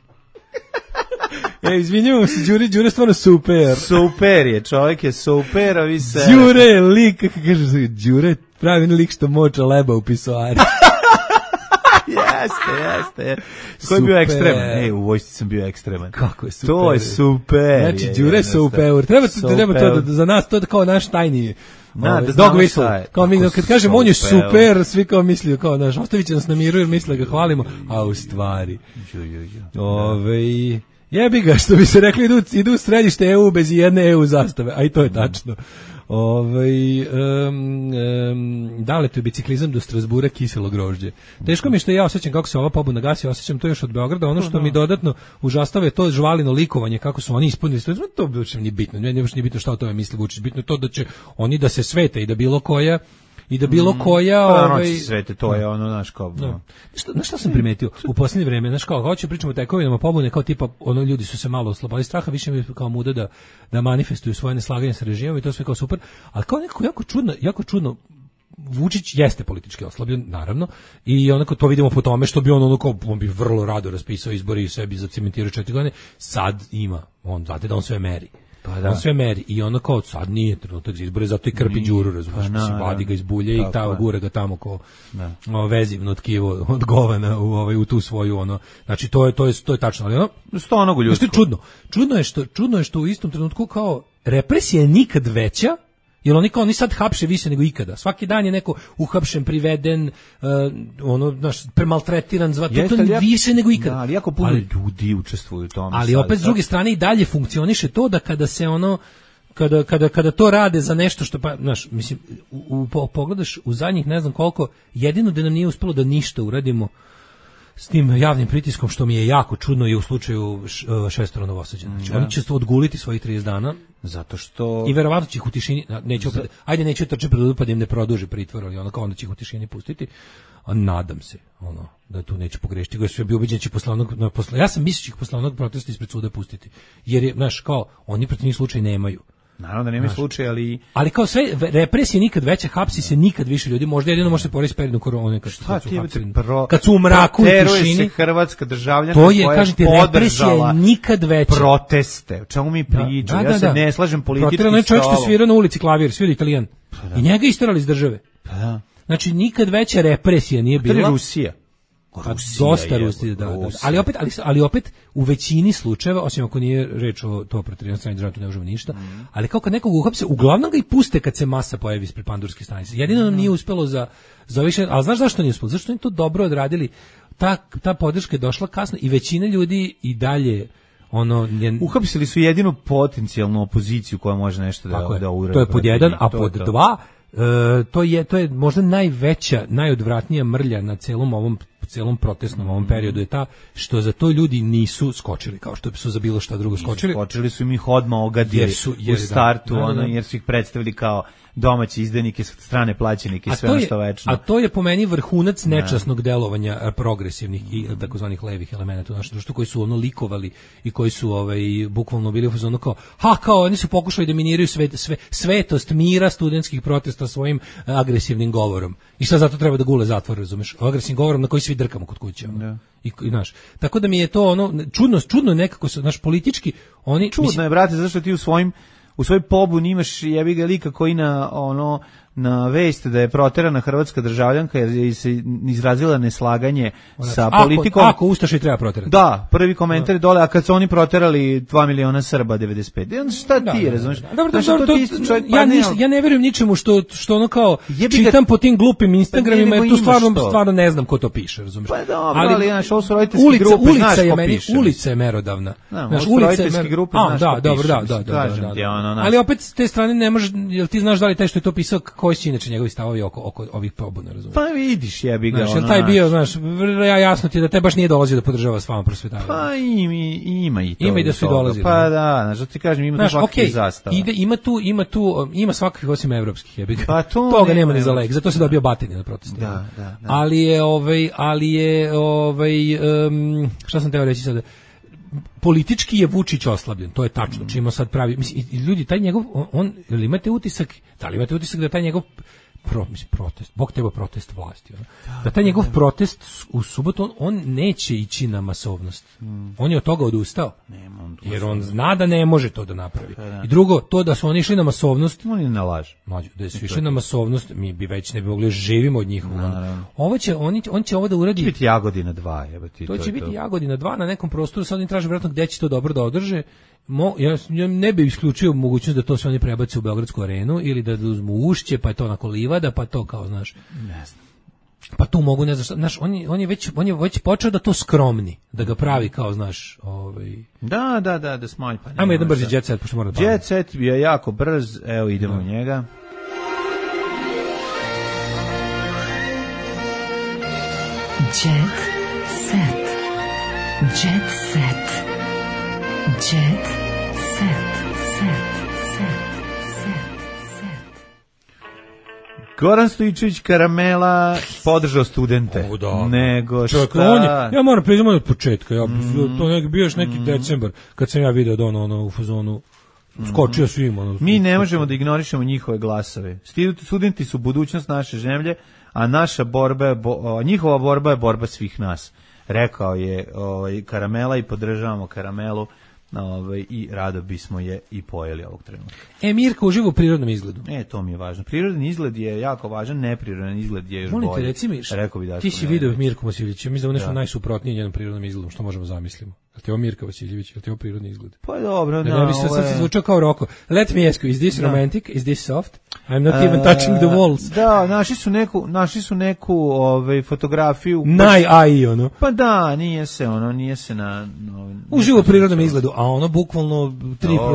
Izvinjamo se, Đure stvarno super. Super je, čovjek je super, a vi se... Đure je lik, kako kaže se, Đure pravi lik što moča leba u pisoari. Jeste. Ko je bio ekstreman? U vojsci sam bio ekstreman. Kako je super. To je super. Znači, Đure je super. Treba to za nas, to kao naš tajni... Dog whistle. Kao mi, kad kažem on je super, svi kao mislio, kao, znaš, ostavit će nas na miru jer misle ga hvalimo, a u stvari. Jebi ga, što bi se rekli, idu u središte EU bez jedne EU zastave, a i to je tačno. Dale to je biciklizam do Strasbura kiselo grožđe. Teško mi što ja osjećam kako se ova pobuna gasi, osjećam to još od Beograda. Ono što mi dodatno užastava je to žvalino likovanje, kako su oni ispunili. To uopšte nije bitno. Nije bitno šta o tome misli Vučić. Bitno je to da će oni da se svete i da bilo koja svete, to je ono, znaš, kao... Znaš šta sam primetio u posljednje vreme, znaš, kao hoće pričamo o tekovinama pobune, kao tipa, ono, ljudi su se malo oslobodili straha, više mi kao muda da manifestuju svoje neslaganje sa režimom i to sve kao super, ali kao nekako jako čudno, Vučić jeste politički oslabljen, naravno, i onako to vidimo po tome što bi on bi vrlo rado raspisao izbori i sebi zacementirao 4 godine, sad ima, znate da on sve meri. On sve meri i ono kao sad nije trenutak za izbore, zato i krpi Đuru, razumiješ, vadi ga iz bulje i gura ga tamo ko vezivno tkivo od govana u tu svoju, ono, znači to je tačno, ali ono, stonogu ljudsko. Čudno je što u istom trenutku kao represija je nikad veća, jer oni sad hapše više nego ikada. Svaki dan je neko uhapšen, priveden, premaltretiran, to je više nego ikada. Da, ali jako puno ljudi učestvuju u tome. Ali opet s druge strane i dalje funkcioniše to da kada se kada to rade za nešto što mislim, pogledaš u zadnjih ne znam koliko, jedino da nam nije uspelo da ništa uradimo s tim javnim pritiskom, što mi je jako čudno, je u slučaju Šestoro Novosađana. Znači, oni će se odguliti svojih 30 dana. Zato što... I verovatno će ih u tišini, neću trče pred pa da im ne produži pritvor, ali onda će ih u tišini pustiti. A nadam se, da tu neće pogrešiti. Ja bi ubeđen će ja sam mislio će ih posle onog protesta ispred suda pustiti. Jer je, kao, oni protiv njih slučaj nemaju. Naravno da nema slučaj, ali kao sve represije nikad veća, hapsi se nikad više ljudi, možda jedino može se poresti periodom korone kad su u mraku i tišini. Se hrvatska državljana to je, kažete, represija je nikad veća. Proteste, o čemu mi pričamo? Ja se ne slažem politički stavom. Čovjek što svira na ulici klavir, svira Italijan. I njega isterali iz države. Znači nikad veća represija nije bila. To je Rusija. Dosta Rusije, da. Ali opet u većini slučajeva, osim ako nije reč o to protiv strane države, tu ne možemo ništa, ali kao kad nekog uhapse, uglavnom ga i puste kad se masa pojavi ispred Pandurske stanice. Jedino nam nije uspelo za više, ali znaš zašto nije uspelo? Zašto oni to dobro odradili? Ta podrška je došla kasno i većina ljudi i dalje uhapsili su jedinu potencijalnu opoziciju koja može nešto da uradi. To je pod jedan, a pod dva to je možda najveća, najodvratnija mrlja na celom protestnom ovom periodu je ta što za to ljudi nisu skočili kao što su za bilo šta drugo skočili. Skočili su im ih odmah ogadili u startu, jer su ih predstavili kao domaći izdajnike, strane plaćenike i sve ono što večno. A to je po meni vrhunac nečasnog delovanja progresivnih i takozvanih levih elemenata u našem društvu koji su likovali i koji su bukvalno bili u fazonu kao oni su pokušali da miniraju svetost mira studentskih protesta svojim agresivnim govorom. I sad zato treba da gule zatvor, razumeš? Agresivnim govorom na koji svi drkamo kod kuće. I tako da mi je to čudno je nekako naš politički čudno je, brate, zato što ti u svojoj pobuni imaš jebi ga lika koji na vest da je proterana hrvatska državljanka jer je se izrazila neslaganje sa politikom. Ako ustaše treba proterati. Da, prvi komentar je dole, a kad su oni proterali 2 miliona Srba 95. Šta ti razumiješ? Ja ne verujem ničemu što ono kao čitam po tim glupim Instagramima, jer tu stvarno ne znam ko to piše, razumiješ? Pa dobro, ali ovo su roditeljske grupe, znaš ko piše. Ulica je merodavna. Ovo su roditeljske grupe, znaš ko piše. Da. Ali opet s te strane ne možeš, jel ti znaš da li taj što je to pisao, koji su inače njegovi stavovi oko ovih pobuna, razumiješ? Pa vidiš, jebi ga. Znaš, taj bio, znaš, jasno ti da te baš nije dolazio da podržava s vama prosvetavanje. Pa ima i to. Ima i da su i dolazili. Pa da, znaš, da ti kažem, ima tu svakih zastava. Ima svakih osim evropskih, jebi ga. Pa toga nema ni za lek, zato se dobio batine na protestima. Da. Ali je šta sam teo reći sada? Politički je Vučić oslabljen, to je tačno, čime sad pravi, mislim, ljudi, taj njegov, da li imate utisak da taj njegov protest, Bog teba protest vlasti, da taj njegov protest u subotu, on neće ići na masovnost, on je od toga odustao, jer on zna da ne može to da napravi. I drugo, to da su oni išli na masovnost, oni ne lažu. Da su išli na masovnost, mi bi već ne bi mogli živimo od njih. On će ovo da uradi. To će biti Jagodina 2, to će biti Jagodina 2 na nekom prostoru, sad oni traže vjerojatno gde će to dobro da održe. Ja ne bih isključio mogućnost da to se oni prebace u Beogradsku arenu ili da uzmu Ušće, pa je to onako livada, pa to kao, znaš. Ne znam. Pa tu mogu, ne znam, znaš, on je već počeo da to skromni, da ga pravi kao, znaš, Da smanj pa. Ajmo jedan brzi jet set, pošto mora da palim. Jet set je jako brz, evo idemo u njega. Jet set. Jet set. Jet set. Goran Stojičević Karamela podržao studente. Nego šta? Ja moram priznati od početka. To je bio još neki decembar kad sam ja video da ono u fazonu skočio svima. Mi ne možemo da ignorišemo njihove glasove. Studenti su budućnost naše zemlje, a naša borba njihova borba je borba svih nas. Rekao je Karamela i podržavamo Karamelu. I rado bismo je i pojeli ovog trenutka. Mirka uživa u prirodnom izgledu. To mi je važno. Prirodni izgled je jako važan, neprirodan izgled je još bolji. Molim te, reci mi, ti si video Mirku Vasiljevića, mislim da je nešto najsuprotnije njenom prirodnom izgledom, što možemo zamislimo. Je li ti ovo Mirka Vasiljević, je li ti ovo prirodni izgled? Pa dobro, ne bi sad se zvučao kao Roko. Let me ask you, is this romantic? Is this soft? I'm not even touching the walls. Da, našli su neku fotografiju. Naj-AI, ono. Pa da, nije se na... Uživo u prirodnom izgledu, a ono bukvalno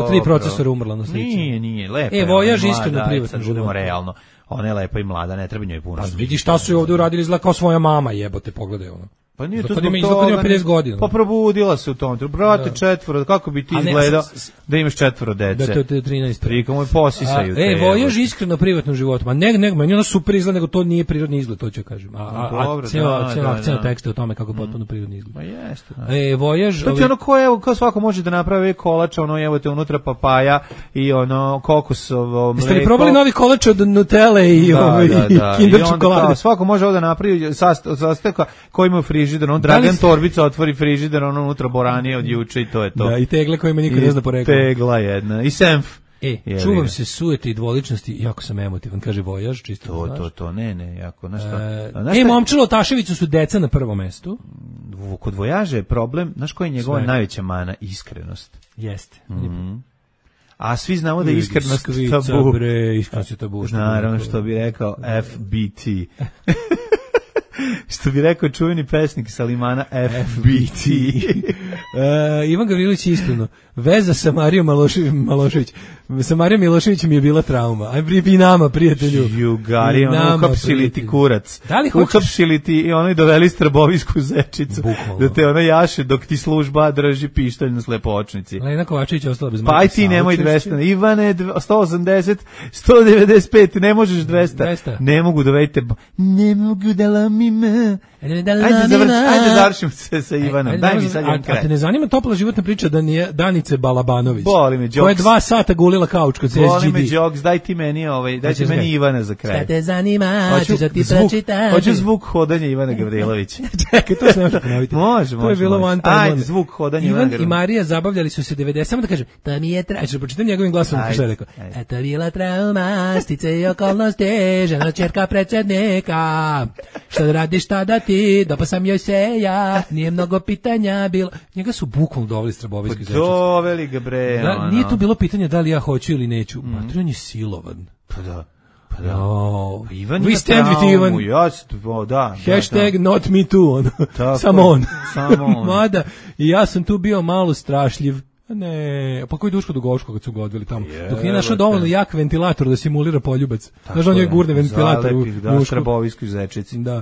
tri procesora umrla na slici. Nije, lepo. Voyaž iskreno privatno budemo realno. Ona je lepa i mlada, ne treba njoj puno. Pa vidi šta su je ovdje uradili, izgleda kao svoja mama, jebote, pogledaj ono. Pa nije to zbog toga. 50 godina. Pa probudila se u tom. Brate, 4, kako bi ti izgledao da imaš 4 dece? Da, to je 13. Prika moj posisaju. Voyaž iskreno privatno životu. Ma ne, meni ono super izgleda, nego to nije prirodni izgled, to ću kažem. A cijela akcija teksta o tome kako potpuno prirodni izgled. Pa jeste. Voyaž... To ti ono kao svako može da napravi kolač, ono evo te unutra papaja i ono kokosovo mleko. Jeste li probali novi kolač od Nutelle i Kinder čokolade? Svako može ovo da napravi sastojka koji ima frižider, on Dragan Torbica otvori frižider, ono unutra boranije od juče i to je to. Da, i tegle kojima niko ne zna porekla. Tegla jedna, i senf. Čuvam se sujete i dvoličnosti, jako sam emotivan, kaže Vojaž, čisto. To, ne, jako, znaš šta. Momčilo Taševiću su deca na prvom mestu. Kod Vojaža je problem, znaš koja je njegova najveća mana? Iskrenost. Jeste. A svi znamo da je iskrenost tabu. Iskrenost je tabu. Naravno, što bi rekao FBT. Što bi rekao čuveni pesnik Salimana FBT. Ivan Gavrilović iskreno. Veza sa Marijom Milošević. Sa Marijom Miloševićem je bila trauma. Aj i nama, prijatelju. Jugari, uhapsili ti kurac. Uhapsili ti i ono i doveli strbovisku zečicu. Bukvalno. Da te ono jaše dok ti služba drži pištolj na slepočnici. Lena Kovačević je ostala bez Pa aj ti nemoj 200. Ivane, 180, 195, ne možeš 200. Ne mogu da vejte. Ne mogu da lamim Ajde završimo se sa Ivanom. Daj mi sad jedan kraj. A te ne zanima topla životna priča Danice Balabanović? Boli me, Jokes. Koja je 2 sata gulila kauč kod SGD. Boli me, Jokes, daj ti meni Ivana za kraj. Šta te zanima, ću da ti pročitam. Hoću zvuk hodanja Ivana Gavrilovića. Čekaj, to se ne može ponoviti. Može. To je bilo one time. Ajde, zvuk hodanja Ivana Gavrilovića. Ivan i Marija zabavljali su se 90, samo da kažem, to mi je trauma, pročitam njegovim glasom, što je rekao. Eto bila trauma, stice i okolnosti, žena čerka predsjednika. Šta da radiš, šta da ti, dopa sam joj se ja, nije mnogo pitanja bilo. Njega su bukvalno doveli Strabovijski Zečić. Doveli ga bre. Nije tu bilo pitanje da li ja hoću ili neću. On je silovan. Pa da. Ivan we stand with Ivan. Hashtag not me too. Samo on. Mada, i ja sam tu bio malo strašljiv. Ne, pa koji Duško Dugovško kad su ga odveli tamo. Dok nije našao dovoljno jak ventilator da simulira poljubac. Znaš da on je gurne ventilator u Dušku. Strabovijskoj Zečici. Da.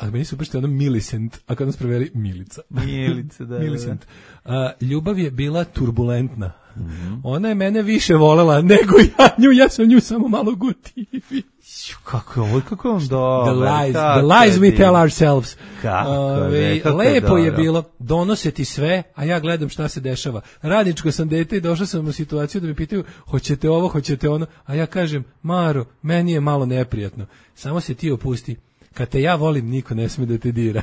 A meni su baš ono Millicent, a kad nas preveli Milica. Milica, da. Millicent. Ljubav je bila turbulentna. Ona je mene više volela nego ja nju, ja sam nju samo malo gotivio. Kako je on dobar. The lies we tell ourselves. Lepo je dobro. bilo, donose ti sve, a ja gledam šta se dešava. Radničko sam dete i došao sam u situaciju da me pitaju hoćete ovo, hoćete ono, a ja kažem, Maro, meni je malo neprijatno. Samo se ti opusti. Kad te ja volim, niko ne sme da te dira.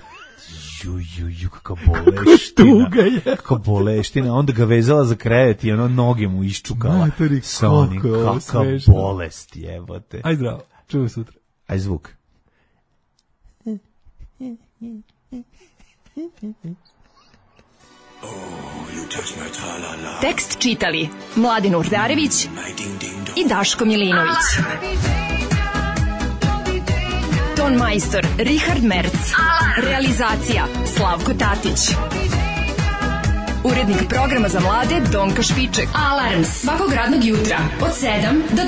Kakva boleština. Kakva boleština. Onda ga vezala za krevet i ono noge mu iščukala. Sa onim, kakva bolest jebote. Aj zdravo, čujemo sutra. Aj zvuk. Tekst čitali Mladin Urdarević i Daško Milinović. Ton majstor Richard Merc. Realizacija Slavko Tatić. Urednik programa za mlade Donka Špiček. Alarms svakog radnog jutra od 7 do 10.